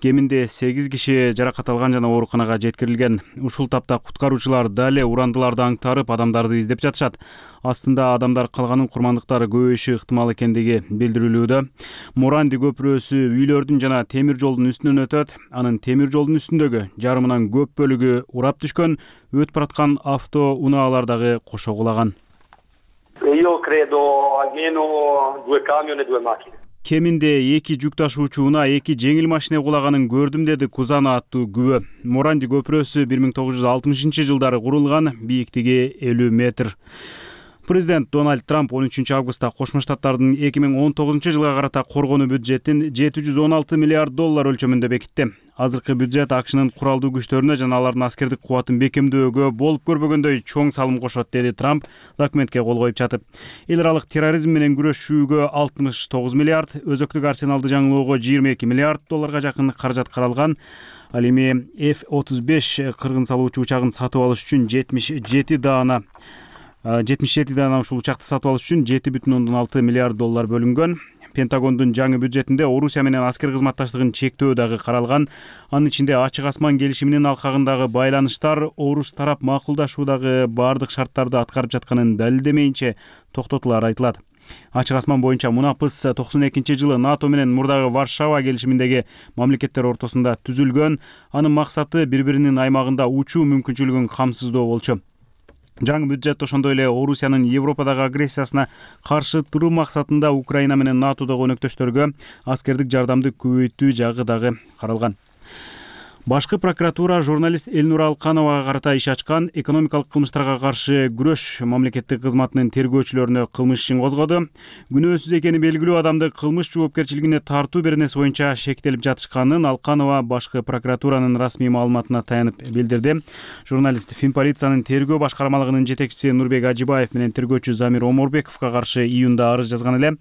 S6: Кеминде сегиз киши жаракат алган жана ооруканага жеткирилген. Ушул тапта куткаруучулар дале урандыларды аңтарып, адамдарды издеп жатышат. Астында адамдар калганын курмандыктары көбөйүшү ыктымал экендиги билдирилүүдө. Моранди көпүрөсү үйлөрдүн жана темир жолдун үстүнөн өтөт. Анын темир жолдун үстүндөгү жарымынан көп бөлүгү урап түшкөн, өтүп бараткан авто унаалар дагы кошо кулаган.
S7: Io credo almeno due camion e due macchine.
S6: Кеминде эки жүк ташуучу унаа, эки жеңил машина кулаганын көрдүм, деди Кузана аттуу күбө. Моранди көпүрөсү бир миң тогуз жүз алтымышынчы жылдары курулган, бийиктиги элүү метр. Президент Дональд Трамп он үчүнчү августта Кошмо Штаттардын эки миң он тогузунчу жылга карата коргонуу бюджетин жети жүз он алты миллиард доллар өлчөмүндө бекитти. Азыркы бюджет АКШнын куралдуу күчтөрүнө жана алардын аскердик кубатын бекемдөөгө болуп көрбөгөндөй чоң салым кошот, деди Трамп документке кол коюп жатып. Эл аралык терроризм менен күрөшүүгө алтымыш тогуз миллиард, өзөктүк арсеналды жаңылоого жыйырма эки миллиард долларга жакын каражат каралган. Ал эми эф отуз беш кыргын салуучу учагын сатып алыш үчүн жетимиш жети даана жетимиш жети даана ушул учакты сатып алыш үчүн жети бүтүн ондон алты миллиард доллар бөлүнгөн. Пентагондун жаңы бюджетинде Орусия менен аскер кызматташтыгын чектөө дагы каралган. Анын ичинде Ачык асман келишиминин алкагындагы байланыштар орус тарап макулдашуудагы бардык шарттарды аткарып жатканын далилдемейинче токтотулары айтылат. Ачык асман боюнча мунапыс токсон экинчи жылы НАТО менен мурдагы Варшава келишиминдеги мамлекеттер ортосунда түзүлгөн. Анын максаты бири-биринин аймагында учуу мүмкүнчүлүгүн камсыздоо болчу. Жаңы бюджет ошондой эле Орусиянын Европадагы агрессиясына каршы туруу максатында Украина менен НАТОдогу өнөктөштөргө аскердик жардамды көбөйтүү жагы дагы каралган. Башкы прокуратура журналист Элнур Алкановага карата иш ачкан. Экономикалык кылмыштарга каршы күрөш мамлекеттик кызматынын тергөөчүлөрүнө кылмыш ишин козгоду. Күнөөсүз экени белгилүү адамды кылмыш жоопкерчилигине тартуу беренеси боюнча шектелип жатышканын Алканова башкы прокуратуранын расмий маалыматына таянып билдирди. Журналист Финполициянын тергөө башкармалыгынын жетекчиси Нурбек Ажибаев менен тергөөчү Замир Оморбековго каршы июнда арыз жазган эле.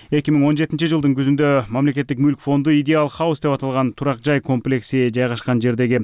S6: эки миң он жетинчи жылдын күзүндө мамлекеттик мүлк фонду Идеал Хаус деп аталган турак жай комплекси жайгашкан жердеги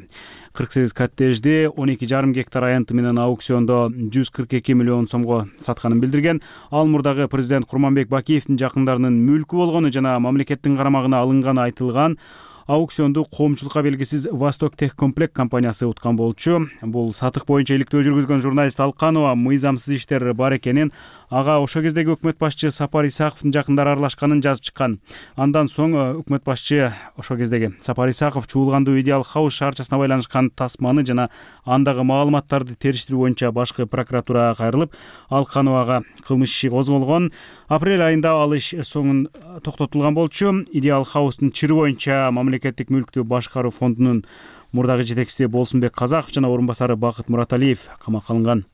S6: кырк сегиз коттеджди он эки жарым гектар аянты менен аукциондо жүз кырк эки миллион сомго сатканын билдирген. Ал мурдагы президент Курманбек Бакиевдин жакындарынын мүлкү болгону жана мамлекеттин карамагына алынганы айтылган. Аукционду коомчулукка белгисиз Восток Техкомплект компаниясы уткан болчу. Бул сатык боюнча иликтөө жүргүзгөн журналист Алканова мыйзамсыз иштер бар экенин, ага ошо кездеги өкмөт башчы Сапар Исаковдун жакындары аралашканын жазып чыккан. Андан соң өкмөт башчы ошо кездеги Сапар Исаков чуулгандуу Идеал Хаус шаарчасына байланышкан тасманы жана андагы маалыматтарды териштирүү боюнча башкы прокуратурага кайрылып, Алкановага кылмыш иши козголгон. Апрель айында ал иш соңун токтотулган болчу. Идеал Хаустун чыры боюнча мамлекеттик мүлктү башкаруу фондунун мурдагы жетекчиси Болсунбек Казаков жана орун басары Бакыт Мураталиев камакка алынган.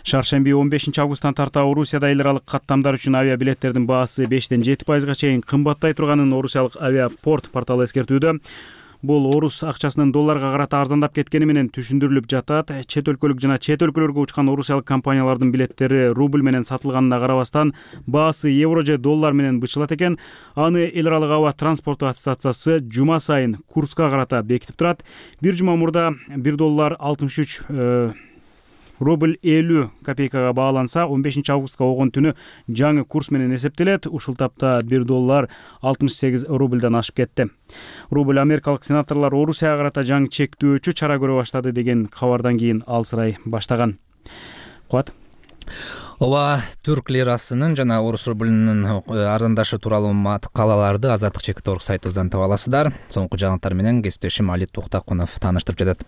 S6: Шаршемби он бешинчи августтан тарта Орусияда эл аралык каттамдар үчүн авиабилеттердин баасы бештен жети пайызга чейин кымбаттай турганын орусиялык авиапорт порталы эскертүүдө. Бул орус акчасынын долларга карата арзандап кеткени менен түшүндүрүлүп жатат. Чет өлкөлүк жана чет өлкөлөргө учкан орусиялык компаниялардын билеттери рубль менен сатылганына карабастан баасы евро же доллар менен бычылат экен. Аны эл аралык аба транспорту ассоциациясы жума сайын курска карата бекитип турат. Бир жума мурда бир доллар алтымыш үч рубль элүү копейкага бааланса, он бешинчи августка огон түнү жаңы курс менен эсептелет. Ушул тапта бир доллар алтымыш сегиз рубльдан ашып кетти. Рубль америкалык сенаторлор Орусияга карата жаңы чектөөчү чара көрө баштады деген кабардан кийин алсырай баштаган. Куат.
S1: Ооба, түрк лирасынын жана орус рубльнин арзандашы тууралуу маткалаларды Азаттык чекит точка орг сайтыбыздан таба аласыздар. Соңку жаңылыктар менен кесиптешим Али Туктакунов тааныштырып жатат.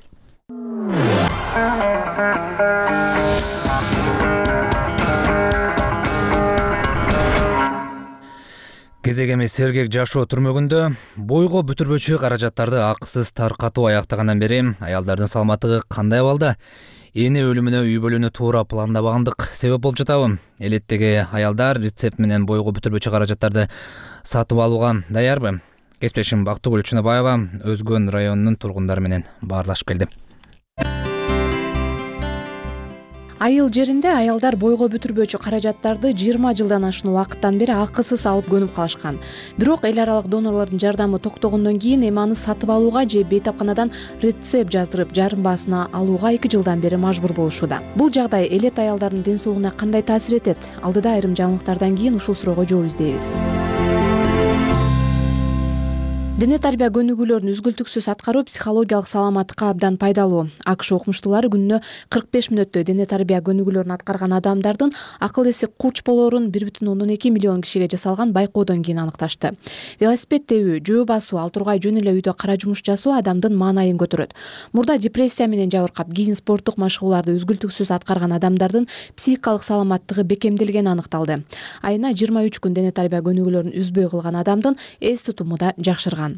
S1: Кезек эмес сергек жашоо түрмөгүндө бойго бүтүрбөчү каражаттарды акысыз таркатуу аяктагандан бери аялдардын саламаттыгы кандай абалда? Эне өлүмүнө үй бөлүүнү туура пландабагандык себеп болуп жатабы? Элеттеги аялдар рецепт менен бойго бүтүрбөчү каражаттарды сатып алууга даярбы? Кесиптешим Бактыгүл Чыныбаева Өзгөн районунун тургундары менен баарлашып келди.
S8: Айыл жеринде аялдар бойго бүтүрбөчү каражаттарды жыйырма жылдан ашуун убакыттан бери акысыз алып көнүп калышкан. Бирок эл аралык донорлордун жардамы токтогондон кийин эми аны сатып алууга же бейтапканадан рецепт жаздырып жарым баасына алууга эки жылдан бери мажбур болушууда. Бул жагдай элет аялдардын ден соолугуна кандай таасир этет? Алдыда айрым жаңылыктардан кийин ушул суроого жооп издейбиз. Дене тарбия көнүгүүлөрүн үзгүлтүксүз аткаруу психологиялык саламаттыкка абдан пайдалуу. АКШ окумуштуулары күнүнө кырк беш мүнөттөй дене тарбия көнүгүүлөрүн аткарган адамдардын акыл эси куч болоорун бир бүтүн ондон эки миллион кишиге жасалган байкоодон кийин аныкташты. Велосипед тебүү, жөө басуу, ал тургай жөн эле үйдө кара жумуш жасоо адамдын маанайын көтөрөт. Мурда депрессия менен жабыркап, кийин спорттук машыгууларды үзгүлтүксүз аткарган адамдардын психикалык саламаттыгы бекемделгени аныкталды. Айына жыйырма үч күн дене тарбия көнүгүүлөрүн үзбөй кылган адамдын эс тутуму да жакшырган.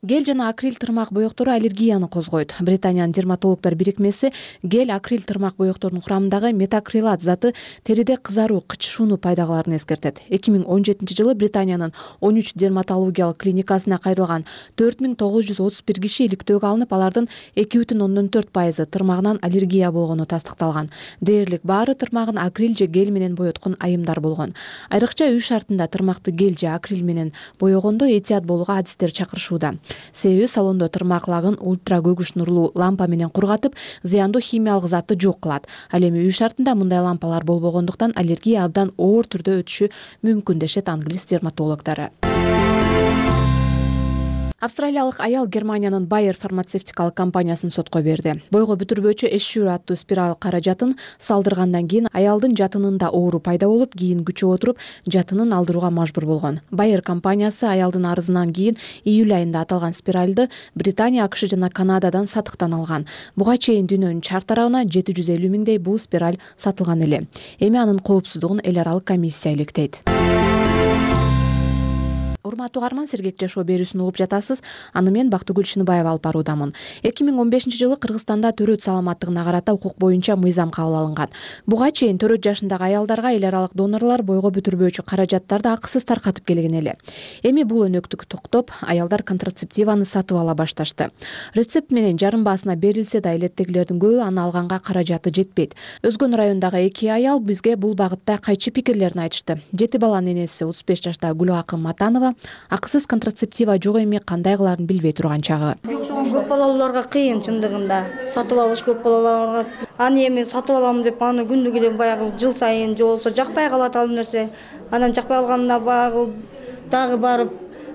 S8: Гель жана акрил тырмак боектору аллергияны козгойт. Британиянын дерматологдор бирикмеси гель акрил тырмак боекторунун курамындагы метакрилат заты териде кызаруу, кычышууну пайда кыларын эскертет. эки миң он жетинчи жылы Британиянын он үч дерматологиялык клиникасына кайрылган төрт миң тогуз жүз отуз бир киши иликтөөгө алынып, алардын эки бүтүн ондон төрт пайызы тырмагынан аллергия болгону тастыкталган. Дээрлик баары тырмагын акрил же гель менен боеткон айымдар болгон. Айрыкча үй шартында тырмакты гель же акрил менен боегондо этият болууга адистер чакырышууда. Себеби салондо тырмак лагын ультра көгүш нурлуу лампа менен кургатып, зыяндуу химиялык затты жок кылат. Ал эми үй шартында мындай лампалар болбогондуктан аллергия абдан оор түрдө өтүшү мүмкүн дешет англис дерматологдору. Австралиялык аял Германиянын Bayer фармацевтикалык компаниясын сотко берди. Бойго бүтүрбөчү эшшүр аттуу спираль каражатын салдыргандан кийин аялдын жатынында оору пайда болуп, кийин күчөп отуруп жатынын алдырууга мажбур болгон. Bayer компаниясы аялдын арызынан кийин июль айында аталган спиральды Британия, АКШ жана Канададан сатыктан алган. Буга чейин дүйнөнүн чар тарабына жети жүз элүү миңдей бул спираль сатылган эле. Эми анын коопсуздугун эл аралык комиссия иликтейт. Урматтуу угарман, сергек жашоо берүүсүн угуп жатасыз. Аны мен Бактыгүл Чыныбаева алып баруудамын. эки миң он бешинчи жылы Кыргызстанда төрөт саламаттыгына карата укук боюнча мыйзам кабыл алынган. Буга чейин төрөт жашындагы аялдарга эл аралык донорлор бойго бүтүрбөчү каражаттарды акысыз таркатып келген эле. Эми бул өнөктүк токтоп, аялдар контрацептиваны сатып ала башташты. Рецепт менен жарым баасына берилсе да элеттегилердин көбү аны алганга каражаты жетпейт. Өзгөн райондагы эки аял бизге бул багытта кайчы пикирлерин айтышты. Жети баланын энеси отуз беш жаштагы Гүлакым Матанова акысыз контрацептива жок эми кандай кыларын билбей турган чагы.
S9: Көп балаларга кыйын чындыгында. Сатып алыш көп балаларга. Аны эми сатып алам деп аны күндүк эле баягы жыл сайын же болсо жакпай калат ал нерсе. Анан жакпай калганда баягы дагы барып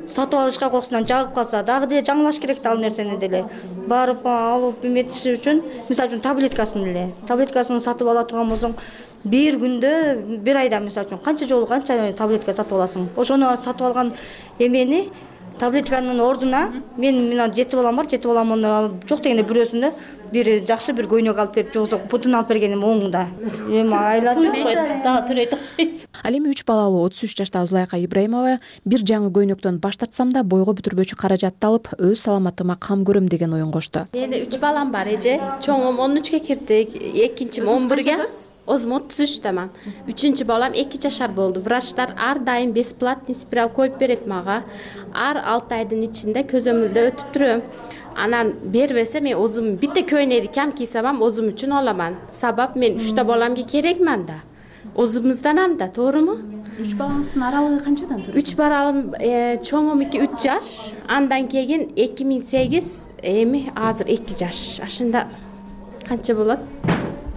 S9: сатып алышка коркусунан жагып калса, дагы деле жаңылаш керек да ал нерсени деле. Барып алып эметиши үчүн, мисалы үчүн таблеткасын эле. Таблеткасын сатып ала турган болсоң, бир күндө, бир айда мисалы үчүн канча жолу канча таблетка сатып аласың. Ошону сатып алган эмени таблетканын ордуна мен мына жети балам бар, жети баламын жок дегенде бирөөсүндө бир жакшы бир көйнөк алып берип, же болбосо путун алып бергеним оңунда. Эми айланса дагы төрөйт окшойсуз.
S8: Ал эми үч балалуу отуз үч жаштагы Зулайка Ибраимова бир жаңы көйнөктөн баш тартсам да бойго бүтүрбөчү каражатты алып өз саламатыма кам көрөм деген оюн кошту.
S10: Менде үч балам бар эже. Чоңум он үчкө кирди, экинчим он бирге. Өзүм отуз үчтөмүн. Үчүнчү балам эки жашар болду. Врачтар ар дайым бесплатный спираль коюп берет мага. Ар алты айдын ичинде көзөмөлдө өтүп турам. Анан бербесе мен өзүм битте көйнөйдү кам кийсем өзүм үчүн алам. Сабап мен үчтө баламга керекмин да. Өзүмүздан да, тооруму?
S8: Үч балаңыздын аралыгы канчадан турат?
S10: Үч балам чоңум үч жаш, андан кийин эки миң сегиз, эми азыр эки жаш. Ашында канча болот?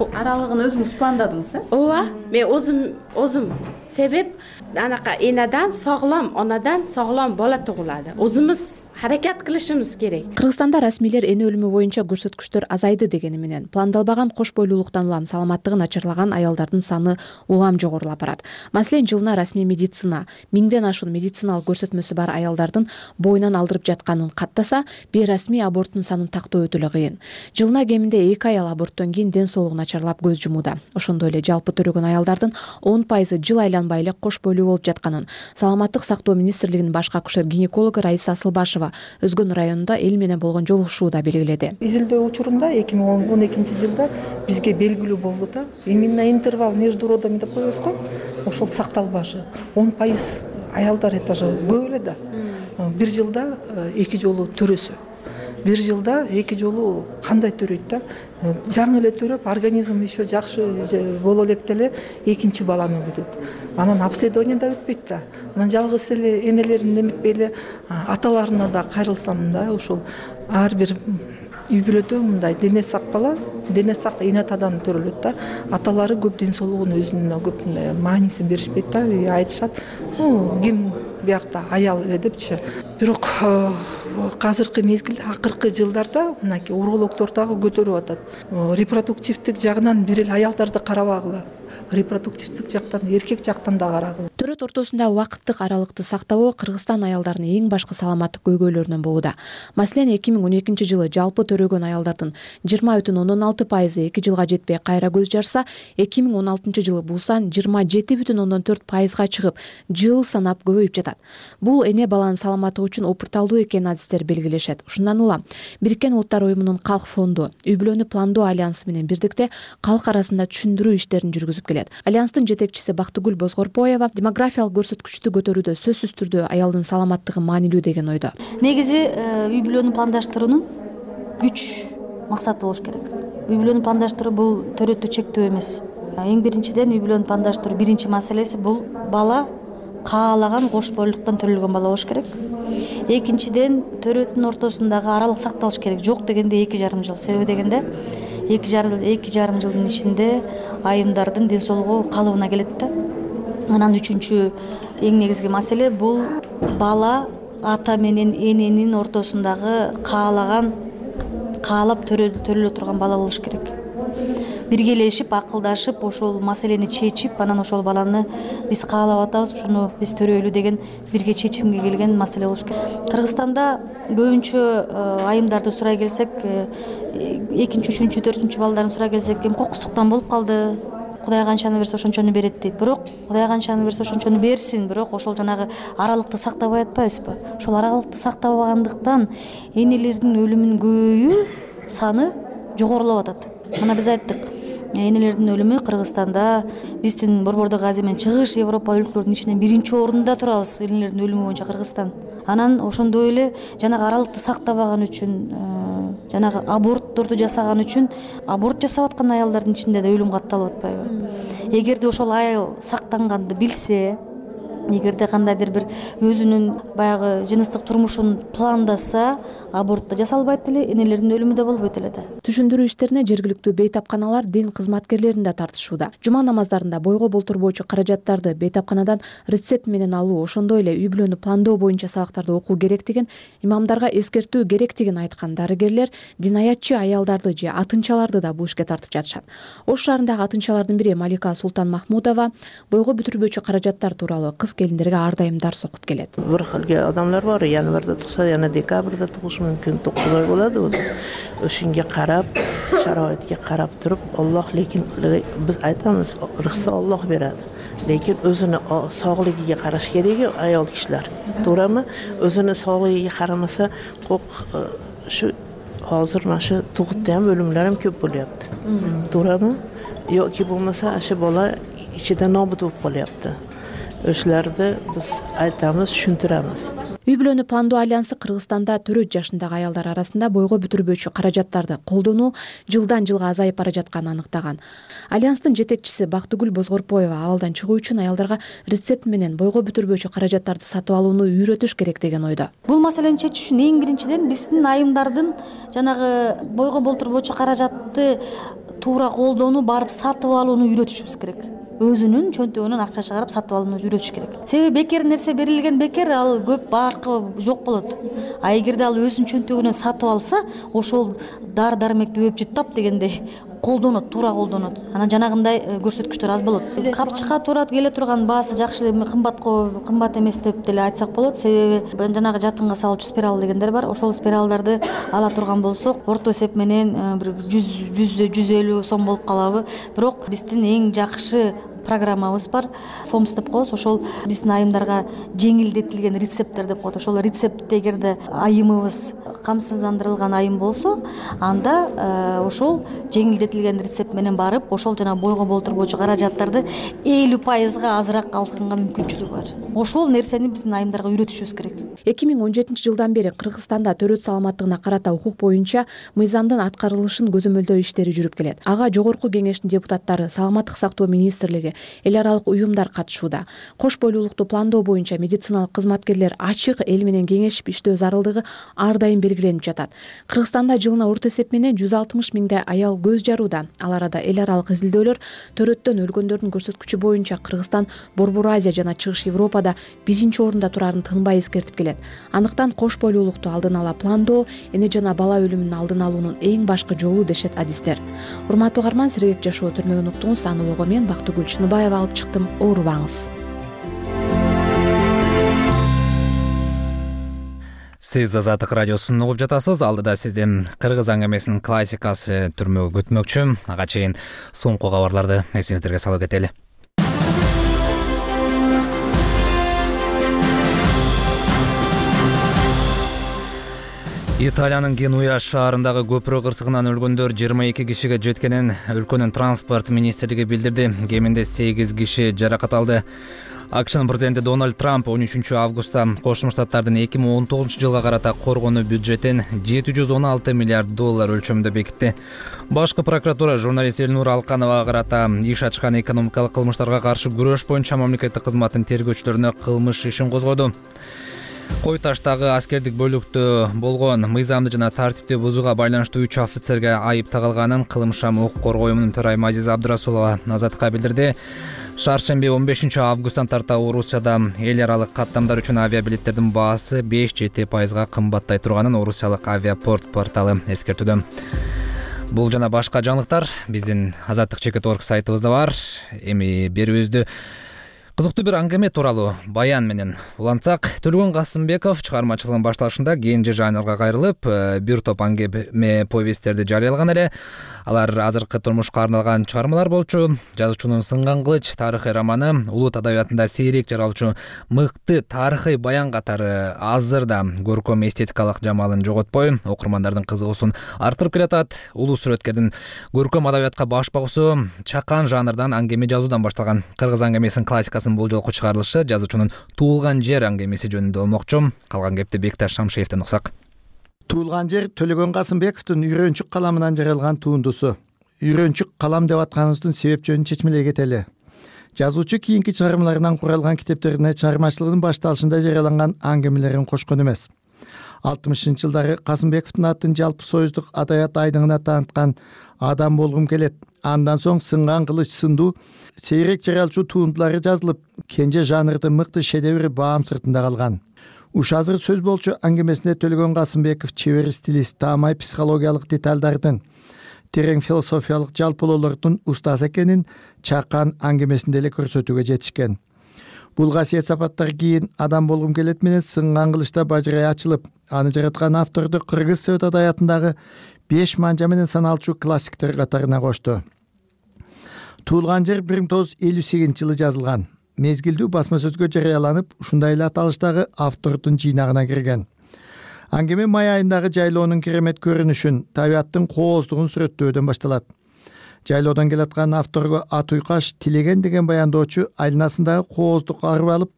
S8: Аралыгын өзүңүз пландадыңыз, э?
S10: Ооба, мен өзүм өзүм себеп анака энадан соглом, онадан соглом бала тугулады. Өзүбүз аракет кылышыбыз керек.
S8: Кыргызстанда расмийлер эне өлүмү боюнча көрсөткүчтөр азайды дегени менен пландалбаган кош бойлуулуктан улам саламаттыгы начарлаган аялдардын саны улам жогорулап барат. Маселен, жылына расмий медицина миңден ашуун медициналык көрсөтмөсү бар аялдардын боюнан алдырып жатканын каттаса, бейрасмий аборттун санын тактоо өтө эле кыйын. Жылына кеминде эки аял аборттон кийин ден соолугу начарлап көз жумууда. Ошондой эле жалпы төрөгөн аялдардын он пайызы жыл айланбай эле кош бойлуу болуп жатканын Саламаттык сактоо министрлигинин баш акушер-гинекологу Раиса Асылбашева Өзгөн районунда эл менен болгон жолугушууда белгиледи.
S2: Изилдөө учурунда эки миң он экинчи жылда бизге белгилүү болду да. Именно интервал между родами деп коебуз го, ошол сакталбашы. он пайыз аялдар это же көп эле да. Бир жылда эки жолу төрөсө. Бир жылда эки жолу кандай төрөйт да? Жаңы эле төрөп, организм еще жакшы боло электе эле экинчи баланы күтөт. Анан обследование да өтпөйт да. Анан жалгыз эле энелерин эметпей эле аталарына да кайрылсам да, ошол ар бир үй бүлөдө мындай дене сак бала, дене сак эне атадан төрөлөт да. Аталары көп ден соолугуна өзүнө көп мындай маанисин беришпейт да, айтышат. Ким биякта аял эле депчи. Бирок азыркы мезгилде акыркы жылдарда мынакей урологдор дагы көтөрүп атат. Репродуктивдик жагынан бир эле аялдарды карабагыла. Репродуктивдик жактан, эркек жактан да карагыла.
S8: Төрөт ортосунда убакыттык аралыкты сактабоо Кыргызстан аялдарынын эң башкы саламаттык көйгөйлөрүнөн болууда. Маселен, эки миң он экинчи жылы жалпы төрөгөн аялдардын жыйырма бүтүн ондон алты пайызы эки жылга жетпей кайра көз жарса, эки миң он алтынчы жылы бул сан жыйырма жети бүтүн ондон төрт пайызга чыгып, жыл санап көбөйүп жатат. Бул эне баланын саламаттыгы үчүн опурталдуу экенин адистер белгилешет. Ушундан улам Бириккен Улуттар уюмунун Калк фонду үй бүлөнү пландоо альянсы менен бирдикте калк арасында түшүндүрүү иштерин жүргүзүп келет. Альянстын жетекчиси Бактыгүл Бозгорпоева демографиялык көрсөткүчтү көтөрүүдө сөзсүз түрдө аялдын саламаттыгы маанилүү деген ойдо.
S11: Негизи үй бүлөнү пландаштыруунун үч максаты болуш керек. Үй бүлөнү пландаштыруу бул төрөттү чектөө эмес. Эң биринчиден үй бүлөнү пландаштыруу биринчи маселеси бул бала каалаган кош бойлуулуктан төрөлгөн бала болуш керек. Экинчиден төрөттүн ортосундагы аралык сакталыш керек. Жок дегенде эки жарым жыл. Себеби дегенде эки жарым жылдын ичинде айымдардын ден соолугу калыбына келет да. Анан үчүнчү эң негизги маселе бул бала ата менен эненин ортосундагы каалаган каалап төрөлө турган бала болуш керек. Биргелешип, акылдашып, ошол маселени чечип, анан ошол баланы биз каалап атабыз, ушуну биз төрөйлү деген бирге чечимге келген маселе болуш керек. Кыргызстанда көбүнчө айымдарды сурай келсек, экинчи, үчүнчү, төртүнчү балдарын сурай келсек, эми кокустуктан болуп калды. Кудай канчаны берсе ошончону берет дейт. Бирок Кудай канчаны берсе ошончону берсин, бирок ошол жанагы аралыкты сактабай атпайбызбы? Ошол аралыкты сактабагандыктан энелердин өлүмүнүн көбөйүү саны жогорулап атат. Мына биз айттык, энелердин өлүмү Кыргызстанда биздин Борбордук Азия менен Чыгыш Европа өлкөлөрүнүн ичинен биринчи орунда турабыз. Энелердин өлүмү боюнча Кыргызстан. Анан ошондой эле жанагы аралыкты сактабаган үчүн, жанагы абортторду жасаган үчүн аборт жасап аткан аялдардын ичинде да өлүм катталып атпайбы? Эгерде ошол аял сактанганды билсе, эгерде кандайдыр бир өзүнүн баягы жыныстык турмушун пландаса, аборт да жасалбайт эле, энелердин өлүмү да болбойт эле да.
S8: Түшүндүрүү иштерине жергиликтүү бейтапканалар дин кызматкерлерин да тартышууда. Жума намаздарында бойго болтурбоочу каражаттарды бейтапканадан рецепт менен алуу, ошондой эле үй бүлөнү пландоо боюнча сабактарды окуу керектигин, имамдарга эскертүү керектигин айткан дарыгерлер динаятчы аялдарды же атынчаларды да бул ишке тартып жатышат. Ош шаарындагы атынчалардын бири Малика Султан Махмудова бойго бүтүрбөчү каражаттар тууралуу кыска кыз келиндерге ар дайым дарс окуп келет.
S4: Бир хилге адамдар бар, январда тукса, жана декабрда тугушу мүмкүн, тогуз ой болот. Ошонго карап, шароитке карап туруп, Аллах, лекин биз айтамыз, рызыкты Аллах берет. Lekin o'zini sog'ligiga qarash kerak ayol kishilar. To'g'rimi? O'zini sog'ligiga qaramasa, qo'q shu hozir mana shu tug'utda ham o'limlar ham ko'p bo'lyapti. To'g'rimi? Yoki bo'lmasa, shu bola ichida nobud bo'lib qolyapti. O'shalarni biz aytamiz, tushuntiramiz.
S8: Үй бүлөнү пландоо альянсы Кыргызстанда төрт жашындагы аялдар арасында бойго бүтүрбөчү каражаттарды колдонуу жылдан жылга азайып бара жатканын аныктаган. Альянстын жетекчиси Бактыгүл Бозгорпоева абалдан чыгуу үчүн аялдарга рецепт менен бойго бүтүрбөчү каражаттарды сатып алууну үйрөтүш керек деген ойдо.
S11: Бул маселени чечиш үчүн эң биринчиден биздин айымдардын жанагы бойго болтурбочу каражатты туура колдонуу, барып сатып алууну үйрөтүшүбүз керек. Өзүнүн чөнтөгүнөн акча чыгарып сатып алууну үйрөтүш керек. Себеби бекер нерсе берилген бекер, ал көп баркы жок болот. А эгерде ал өзүнүн чөнтөгүнөн сатып алса, ошол дар дармекти өп жыттап дегендей колдонот, туура колдонот. Анан жанагындай көрсөткүчтөр аз болот. Капчыкка туура келе турган баасы жакшы, кымбатко кымбат эмес деп деле айтсак болот. Себеби жанагы жатынга салуучу спираль дегендер бар. Ошол спиралдарды ала турган болсок, орто эсеп менен бир жүз жүз элүү сом болуп калабы. Бирок биздин эң жакшы программабыз бар. Фомс деп коебуз. Ошол биздин айымдарга жеңилдетилген рецепттер деп коет. Ошол рецептте эгерде айымыбыз камсыздандырылган айым болсо, анда ошол жеңилдетилген рецепт менен барып, ошол жана бойго болтурбочу каражаттарды элүү пайызга азыраак алганга мүмкүнчүлүгү бар. Ошол нерсени биздин айымдарга үйрөтүшүбүз керек.
S8: эки миң он жетинчи жылдан бери Кыргызстанда төрөт саламаттыгына карата укук боюнча мыйзамдын аткарылышын көзөмөлдөө иштери жүрүп келет. Ага Жогорку Кеңештин депутаттары, Саламаттык сактоо министрлиги, эл аралык уюмдар катышууда. Кош бойлуулукту пландоо боюнча медициналык кызматкерлер ачык эл менен кеңешип иштөө зарылдыгы ар дайым белгиленип жатат. Кыргызстанда жылына орто эсеп менен жүз алтымыш миңдей аял көз жарууда. Ал арада эл аралык изилдөөлөр төрөттөн өлгөндөрдүн көрсөткүчү боюнча Кыргызстан Борбор Азия жана Чыгыш Европада биринчи орунда турарын тынбай эскертип келет. Андыктан кош бойлуулукту алдын ала пландоо эне жана бала өлүмүнүн алдын алуунун эң башкы жолу дешет адистер. Урматтуу угарман, сергек жашоо түрмөгүн уктуңуз. Аны ойго мен Бактыгүл Чыныбаева алып чыктым. Оорубаңыз.
S1: Сиз Азаттык радиосун угуп жатасыз. Алдыда сизден кыргыз аңгемесинин классикасы түрмөгү күтмөкчү. Ага чейин соңку кабарларды эсиңиздерге салып кетели. Италиянын Генуя шаарындагы көпүрө кырсыгынан өлгөндөр жыйырма эки кишиге жеткенин өлкөнүн транспорт министрлиги билдирди. Кеминде сегиз киши жаракат алды. АКШнын президенти Дональд Трамп он үчүнчү августта Кошмо Штаттардын эки миң он тогузунчу жылга карата коргонуу бюджетин жети жүз он алты миллиард доллар өлчөмүндө бекитти. Башкы прокуратура журналист Элнур Алкановага карата иш ачкан экономикалык кылмыштарга каршы күрөш боюнча мамлекеттик кызматтын тергөөчүлөрүнө кылмыш ишин козгоду. Кой таштагы аскердик бөлүктө болгон мыйзамды жана тартипти бузууга байланыштуу үч офицерге айып тагылганын кылмыш укук коргоо уюмунун төрайымы Азиза Абдырасулова Азаттыкка билдирди. Шаршемби он бешинчи августтан тарта Орусияда эл аралык каттамдар үчүн авиабилеттердин баасы беш жети пайызга кымбаттай турганын Орусиялык авиапорт порталы эскертүүдө. Бул жана башка жаңылыктар биздин азаттык чекит точка орг сайтыбызда бар. Эми берүүбүздү кызыктуу бир аңгеме тууралуу баян менен улантсак, Төлгөн Касымбеков чыгармачылыгынын башталышында кенже жанрга кайрылып, бир топ аңгеме повесттерди жарыялаган эле. Алар азыркы турмушка арналган чыгармалар болчу. Жазуучунун Сынган кылыч тарыхый романы улут адабиятында сейрек жаралчу мыкты тарыхый баян катары азырда көркөм эстетикалык жамалын жоготпой, окурмандардын кызыгуусун арттырып келатат. Улуу сүрөткердин көркөм адабиятка баш багуусу чакан жанрдан аңгеме жазуудан башталган. Кыргыз аңгемесинин классикасынын бул жолку чыгарылышы жазуучунун Туулган жер аңгемеси жөнүндө болмокчу. Калган кепти Бекташ Шамшиевден уксак.
S12: Туулган жер Төлөгөн Касымбековдун Үйрөнчүк каламынан жаралган туындусу. Үйрөнчүк калам деп атканыбыздын себеп жөнүн чечмелей кетели. Жазуучу кийинки чыгармаларынан куралган китептерине чыгармачылыгынын башталышында жарыяланган аңгемелерин кошкон эмес. алтымышынчы жылдары Касымбековдун атын жалпы союздук адабият айдыңына тааныткан Адам болгум келет. Андан соң Сынган кылыч сындуу сейрек жаралчу туындулары жазылып, кенже жанрдын мыкты шедеври баам сыртында калган. Уш азыр сөз болчу аңгемесинде Төлөгөн Касымбеков чебер стилист, таамай психологиялык деталдардын, терең философиялык жалпылоолордун устазы экенин чакан аңгемесинде эле көрсөтүүгө жетишкен. бул касиет сапаттар кийин адам болгум келет менен сынган кылычта бажырай ачылып, аны жараткан авторду Кыргыз Совет адаятындагы беш манжа менен саналчу классиктер катарына кошту. Туулган жер бир миң тогуз жүз элүү сегизинчи жылы жазылган. Мезгилдүү басма сөзгө жарыяланып, ушундай эле аталыштагы автордун жыйнагына кирген. Аңгеме май айындагы жайлоонун керемет көрүнүшүн, табияттын кооздугун сүрөттөөдөн башталат. Жайлоодон келаткан авторго ат уйкаш Тилеген деген баяндоочу айланасындагы кооздук арып алып,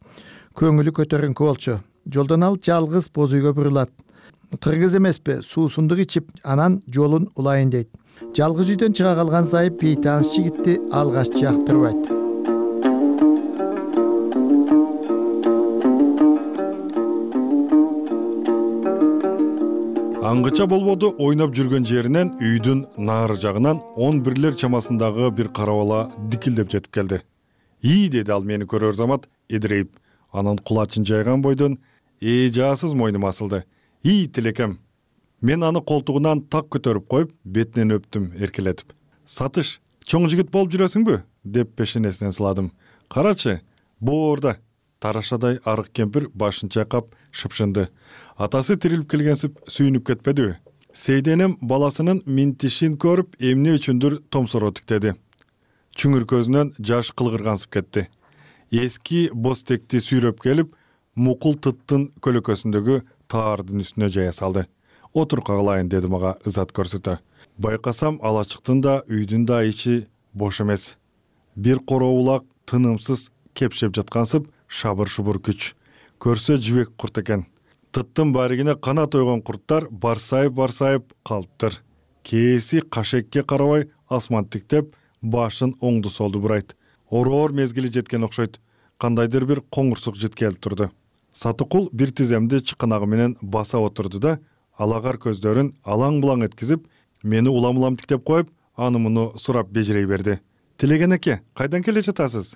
S12: көңүлү көтөрүнкү болчу. Жолдон ал жалгыз боз үйгө бурулат. Кыргыз эмеспи, суусундук ичип, анан жолун улайын дейт. Жалгыз үйдөн чыга калган Зайып бейтаныс жигитти алгач жактырбайт.
S3: Аңгыча болбоду ойноп жүргөн жеринен үйдүн нары жагынан он бирлер чамасындагы бир кара бала дикилдеп жетип келди. «И» деди ал мени көрөр замат эдирейип. Анан кулачын жайган бойдон эжасыз мойнума асылды. «И, тилекем». Мен аны колтугунан так көтөрүп коюп, бетинен өптүм эркелетип. «Сатыш, чоң жигит болуп жүрөсүңбү?» деп пешенесинен сыладым. «Карачы, боорда». Тарашадай арык кемпир башын чайкап шыпшынды. Атасы тирилип келгенсип сүйүнүп кетпедиби? Сейденем баласынын минтишин көрүп, эмне үчүндүр томсоро тиктеди. Чүңүр көзүнөн жаш кылгыргансып кетти. Эски бостекти сүйрөп келип, мукул тыттын көлөкөсүндөгү таардын үстүнө жая салды. «Отур кагалайын» деди мага ызат көрсөтө. Байкасам алачыктын да, үйдүн да ичи бош эмес. Бир короолак тынымсыз кепшеп жаткансып, шабыр-шубур күч. Көрсө жибек курт экен. Тыттын баригине канат ойгон курттар барсайып-барсайып калыптыр. Кээси кашекке карабай асман тиктеп, башын оңду-солду бурайт. Ороор мезгили жеткен окшойт. Кандайдыр бир коңурсук жит келип турду. Сатыкул бир тиземди чыканагы менен баса отурду да, алагар көздөрүн алаң-булаң эткизип, мени улам-улам тиктеп коюп, аны муну сурап бежирей берди. «Тилеген эке, кайдан келе жатасыз?»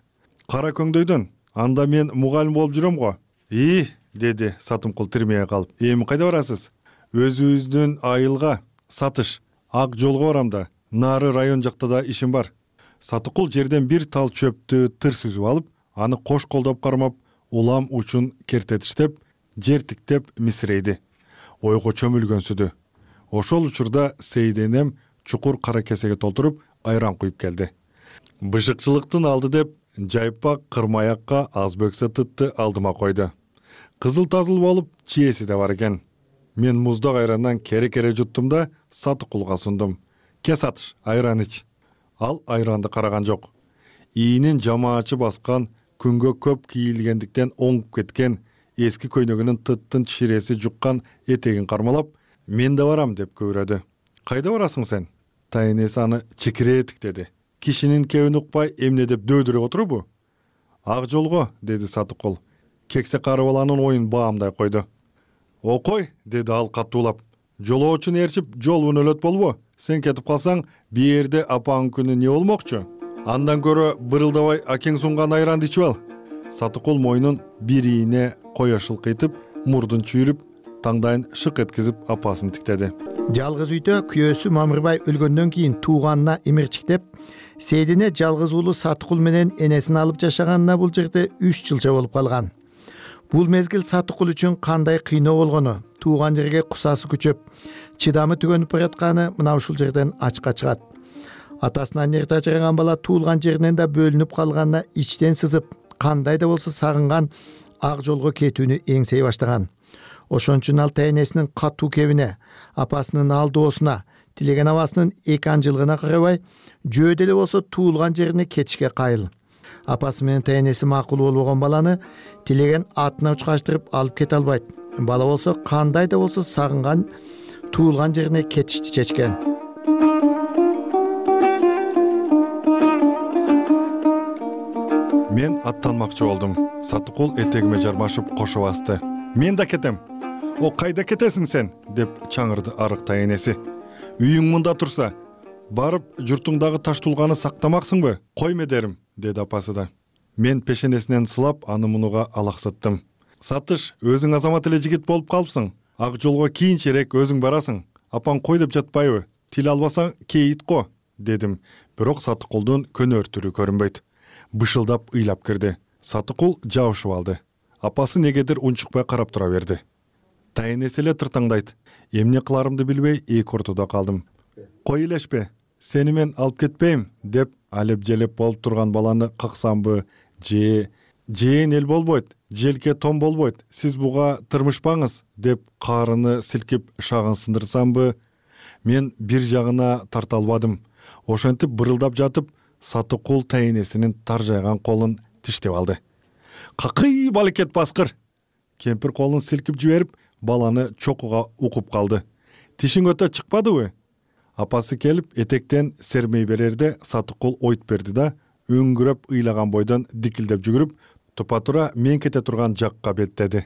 S3: «Кара көңдөйдөн. Анда мен мугалим болуп жүрөм го». «И» деди Сатымкул тирмее калып. «Эми кайда барасыз?» «Өзүбүздүн айылга, Сатыш, Ак жолго барам да, нары район жакта да ишим бар». Сатыкул жерден бир тал чөптү тырс үзүп алып, аны кош колдоп кармап, улам учун кертетиштеп, жер тиктеп мисирейди. Ойго чөмүлгөнсүдү. Ошол учурда Сейденем чукур кара кесеге толтуруп айран куюп келди. Бышыкчылыктын алды деп жайпак кырмаякка аз бөксө тытты алдыма койду. Кызыл-тазыл болуп, чиеси да бар экен. Мен муздак айрандан кере-кере жуттум да Сатыкулга сундум. «Ке Сатыш, айран ич». Ал айранды караган жок. Ийинин жамаачы баскан, күнгө көп кийилгендиктен оңуп кеткен, эски көйнөгүнүн тыттын чиреси жуккан этегин кармалап, «Мен да барам» деп көйрөдү. «Кайда барасың сен?» Тайнеси аны чекире тиктеди. «Кишинин кебин укпай эмне деп дөөдүрөп отурбу?» «Ак жолго» деди Сатыкул. Кексе кары баланын оюн баамдай койду. «Окой» деди ал катуулап. «Жолоочун ээрчип, жолун өлөт болбо. Сен кетип калсаң, биерде апаңын күнү не болмокчу? Андан көрө бырылдабай акең сунган айранды ичип ал». Сатыкул мойнун бир ийине кое шылкыйтып, мурдун чүйрүп, таңдайын шык эткизип апасын тиктеди.
S12: Жалгыз үйдө күйөөсү Мамырбай өлгөндөн кийин тууганына имирчиктеп, Сейдине жалгыз уулу Сатыкул менен энесин алып жашаганына бул жерде үч жылча болуп калган. Бул мезгил Сатыкул үчүн кандай кыйноо болгону, тууган жерге кусасы күчөп, чыдамы түгөнүп баратканы мына ушул жерден ачыкка чыгат. Атасынан эрте ажыраган бала туулган жеринен да бөлүнүп калганына ичтен сызып, кандай да болсо сагынган, ак жолго кетүүнү эңсей баштаган. Ошон үчүн ал тайнесинин катуу кебине, апасынын алдоосуна, тилеген абасынын эки анжылыгына карабай, жөө деле болсо туулган жерине кетишке кайыл. Апасы менен тайнеси макул болбогон баланы тилеген атына учкаштырып алып кете албайт. Бала болсо кандай да болсо сагынган, туулган жерине кетишти чечкен.
S3: Мен аттанмакчы болдум. Сатыкул этегиме жармашып кошо басты. «Мен да кетем». «О, кайда кетесиң сен?» деп чаңырды арык тайнеси. «Үйүң мында турса, барып журтуңдагы таш тулганы сактамаксыңбы? Койме дерим», деди апасы да. Мен пешенесинен сылап аны мунуга алаксаттым. «Сатыш, өзүң азамат эле жигит болуп калыпсың. Ак жолго кийинчерээк өзүң барасың. Апаң кой деп жатпайбы? Тил албасаң кейит го», дедим. Бирок Сатыкулдун көнөр түрү көрүнбөйт. Бышылдап ыйлап кирди. Сатыкул жабышып алды. Апасы негедир унчукпай карап тура берди. Тайнеси эле тыртаңдайт. Эмне кыларымды билбей эки ортодо калдым. Кой элешпе, сени мен алып кетпейм деп алеп желеп болуп турган баланы каксамбы, же жээн эл болбойт, желке том болбойт, сиз буга тырмышпаңыз деп каарыны силкип шагын сындырсамбы, мен бир жагына тарта албадым. Ошентип бырылдап жатып, Сатыкул тайнесинин таржайган колун тиштеп алды. Какый балекет баскыр! Кемпир колун силкип жиберип, баланы чокуга укуп калды. Тишиң өтө чыкпадыбы? Апасы келип, этектен сермей берерде Сатыкул ойт берди да, өңгүрөп ыйлаган бойдон дикилдеп жүгүрүп, тупа тура мен кете турган жакка беттеди.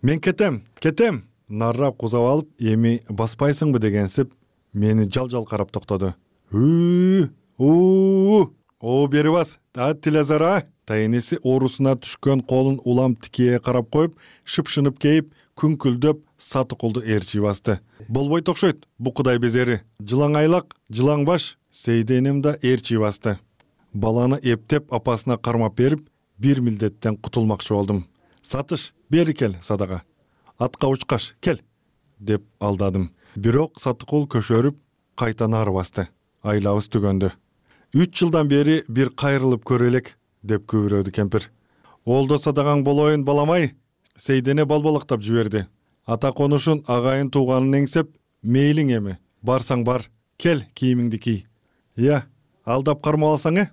S3: Мен кетем, кетем! Наррап кузап алып, эми баспайсыңбы дегенсип, мени жал-жал карап токтоду. Үүү, уу, о бери бас, а тилезара. Тайнеси оорусуна түшкөн колун улам тикее карап коюп, шыпшынып кейип, күңкүлдөп Сатыкулду ээрчи басты. Болбойт окшойт, бу кудай безери. Жылаң айлак, жылаң баш, Сейденим да ээрчи басты. Баланы эптеп апасына кармап берип, бир милдеттен кутулмакчы болдум. Сатыш, бери кел, Садага. Атка учкаш, кел, деп алдадым. Бирок Сатыкул көшөрүп, кайта нары басты. Айлабыз түгөндү. Үч жылдан бери бир кайрылып көрө элек, деп күбүрөдү кемпир. Олдо Садagaң болоюн баламай, Сейдене балбалактап жиберди. Ата конушун агайын тууганын эңсеп, мейлиң эми, барсаң бар, кел кийимиңди кий. Я, алдап кармап алсаң э?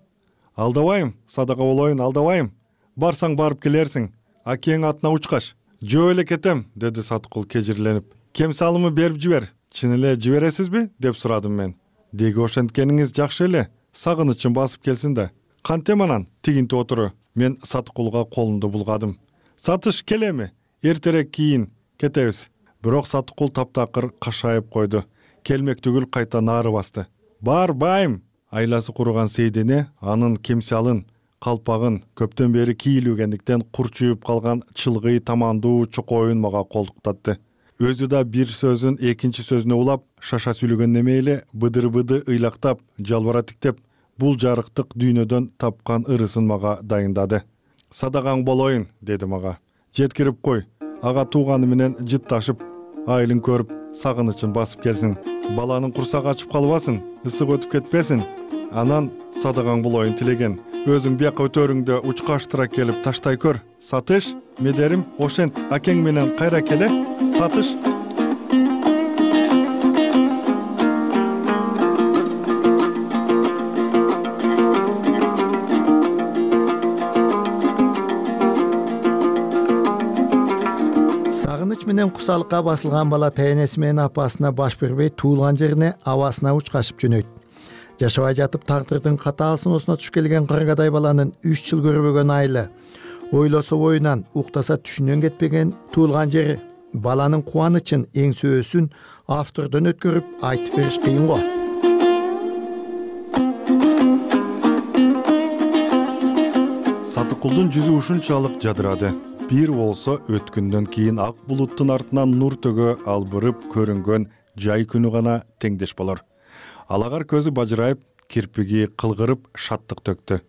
S3: Алдабайм, Садага болоюн, алдабайм. Барсаң барып келерсиң, акең атына учкаш. Жөө эле кетем, деди Сатыкул кежирленип. Кем салымы берип жибер. Чын эле жибересизби? Деп сурадым мен. Деги ошенткениңиз жакшы эле, сагынычым басып келсин да. Кантем анан, тигинти отуру. Мен Сатыкулга колумду булгадым. Сатыш, келеми, эртерээк кийин, кетебиз. Бирок Сатыкул таптакыр кашайып койду. Келмек түгүл кайта нары басты. Барбайм! Айласы куруган Сейдене анын кемсалын, калпагын көптөн бери кийилүүгендиктен курчуюп калган чылгый тамандуу чокоюн мага колдуктатты. Өзү да бир сөзүн экинчи сөзүнө улап, шаша сүйлөгөн эмейле быдыр-быды ыйлактап, жалбара тиктеп, бул жарыктык дүйнөдөн тапкан ырысын мага дайындады. Садagaң болоюн, деди мага. Жеткирип кой, ага тууганы менен жытташып, айылын көрүп, сагынычын басып келсин. Баланын курсагы ачып калбасын, ысык өтүп кетпесин. Анан Садagaң болоюн тилеген. Өзүң бияка өтөрүңдө учкаштыра келип таштай көр. Сатыш, медерим, ошент акең менен кайра келе. Сатыш.
S12: Сагыныч менен кусалыкка басылган бала тайнеси менен апасына баш бербей, туулган жерине абасына учкашып жөнөйт. Жашабай жатып тагдырдын катаал сыноосуна туш келген кыргадай баланын үч жыл көрбөгөн айылы, ойлосо боюнан, уктаса түшүнөн кетпеген туулган жери, баланын кубанычын, эң сөөсүн автордон өткөрүп айтып бериш кыйын го.
S3: Сатыкулдун жүзү ушунчалык жадырады. Бир болсо өткөндөн кийин ак булуттун артынан нур төгө албырып көрүнгөн жай күнү гана теңдеш болор. Алагар көзү бажырайып, кирпиги кылгырып шаттык төктү.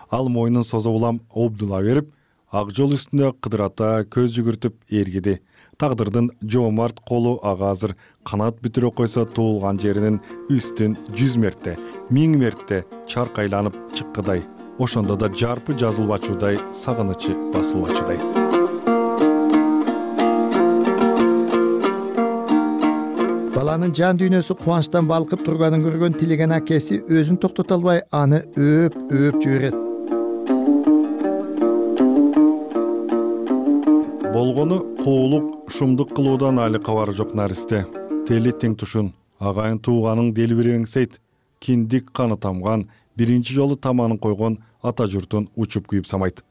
S3: Ал мойнун созо улам обдула берип, ак жол үстүнө кыдырата көз жүгүртүп ээргиди. Тагдырдын жоомарт колу ага азыр канат бүтүрө койсо туулган жеринин үстүн жүз мерте, миң мерте чаркайланып чыккыдай. Ошондо да жарпы жазылбачудай, сагынычы басылбачудай.
S12: Баланын жан дүйнөсү кубанычтан балкып турганын көргөн тилеген акеси өзүн токтото албай аны өөп өөп жиберет.
S3: Болгону куулук, шумдук кылуудан али кабары жок наристе. Тели тең тушун, агайын тууганын делбиреңсейт, киндик каны тамган, биринчи жолу таманын койгон ата журтун учуп күйүп самайт.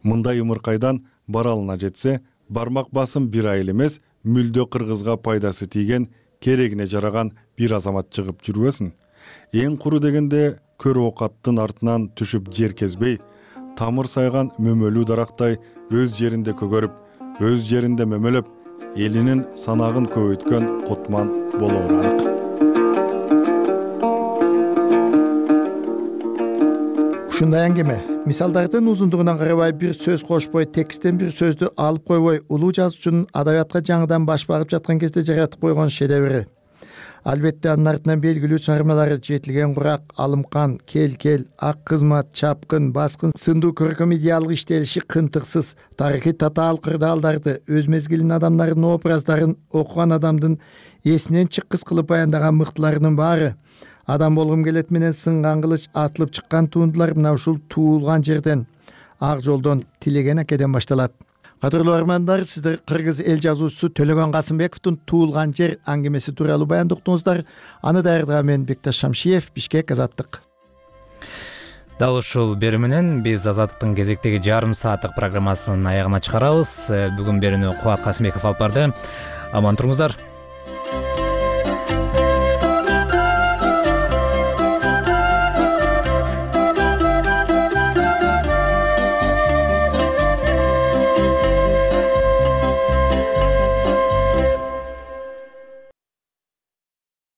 S3: Мындай ымыркайдан баралына жетсе, бармак басым бир айыл эмес, мүлдө кыргызга пайдасы тийген, керегине жараган бир азамат чыгып жүрбөсүн. Эң куру дегенде көр окаттын артынан түшүп жер кезбей, тамыр сайган мөмөлүү дарактай өз жеринде көгөрүп, өз жеринде мөмөлөп, элинин санагын көбөйткөн кутман болоору анык.
S12: Ушундай аңгеме мисалдардын узундугуна карабай бир сөз кошпой, тексттен бир сөздү алып койбой, улуу жазуучунун адабиятка жаңыдан баш багып жаткан кезде жаратып койгон шедеври. Албетте анын артынан белгилүү чыгармалары Жетилген курак, Алымкан, Кел кел, Ак кызмат, Чапкын, Баскын сындуу көркөм идеалдык иштелиши кынтыксыз, тарыхый татаал кырдаалдарды, өз мезгилинин адамдарынын образдарын окуган адамдын эсинен чыккыс кылып баяндаган мыктыларынын баары. Адам болгум келет менен сынган кылыч атылып чыккан туындулар мына ушул туулган жерден, ак жолдон, Тилеген акеден башталат. Кадырлуу армандар, сиздер кыргыз эл жазуучусу Төлөгөн Касымбековдун Туулган жер аңгемеси тууралуу баяндоктуңуздар. Аны даярдаган мен Бекташ Шамшиев, Бишкек, Азаттык.
S1: Дал ушул берүү менен биз Азаттыктын кезектеги жарым сааттык программасынын аягына чыгарабыз. Бүгүн берүүнү Кубат Касымбеков алып барды. Аман туруңуздар.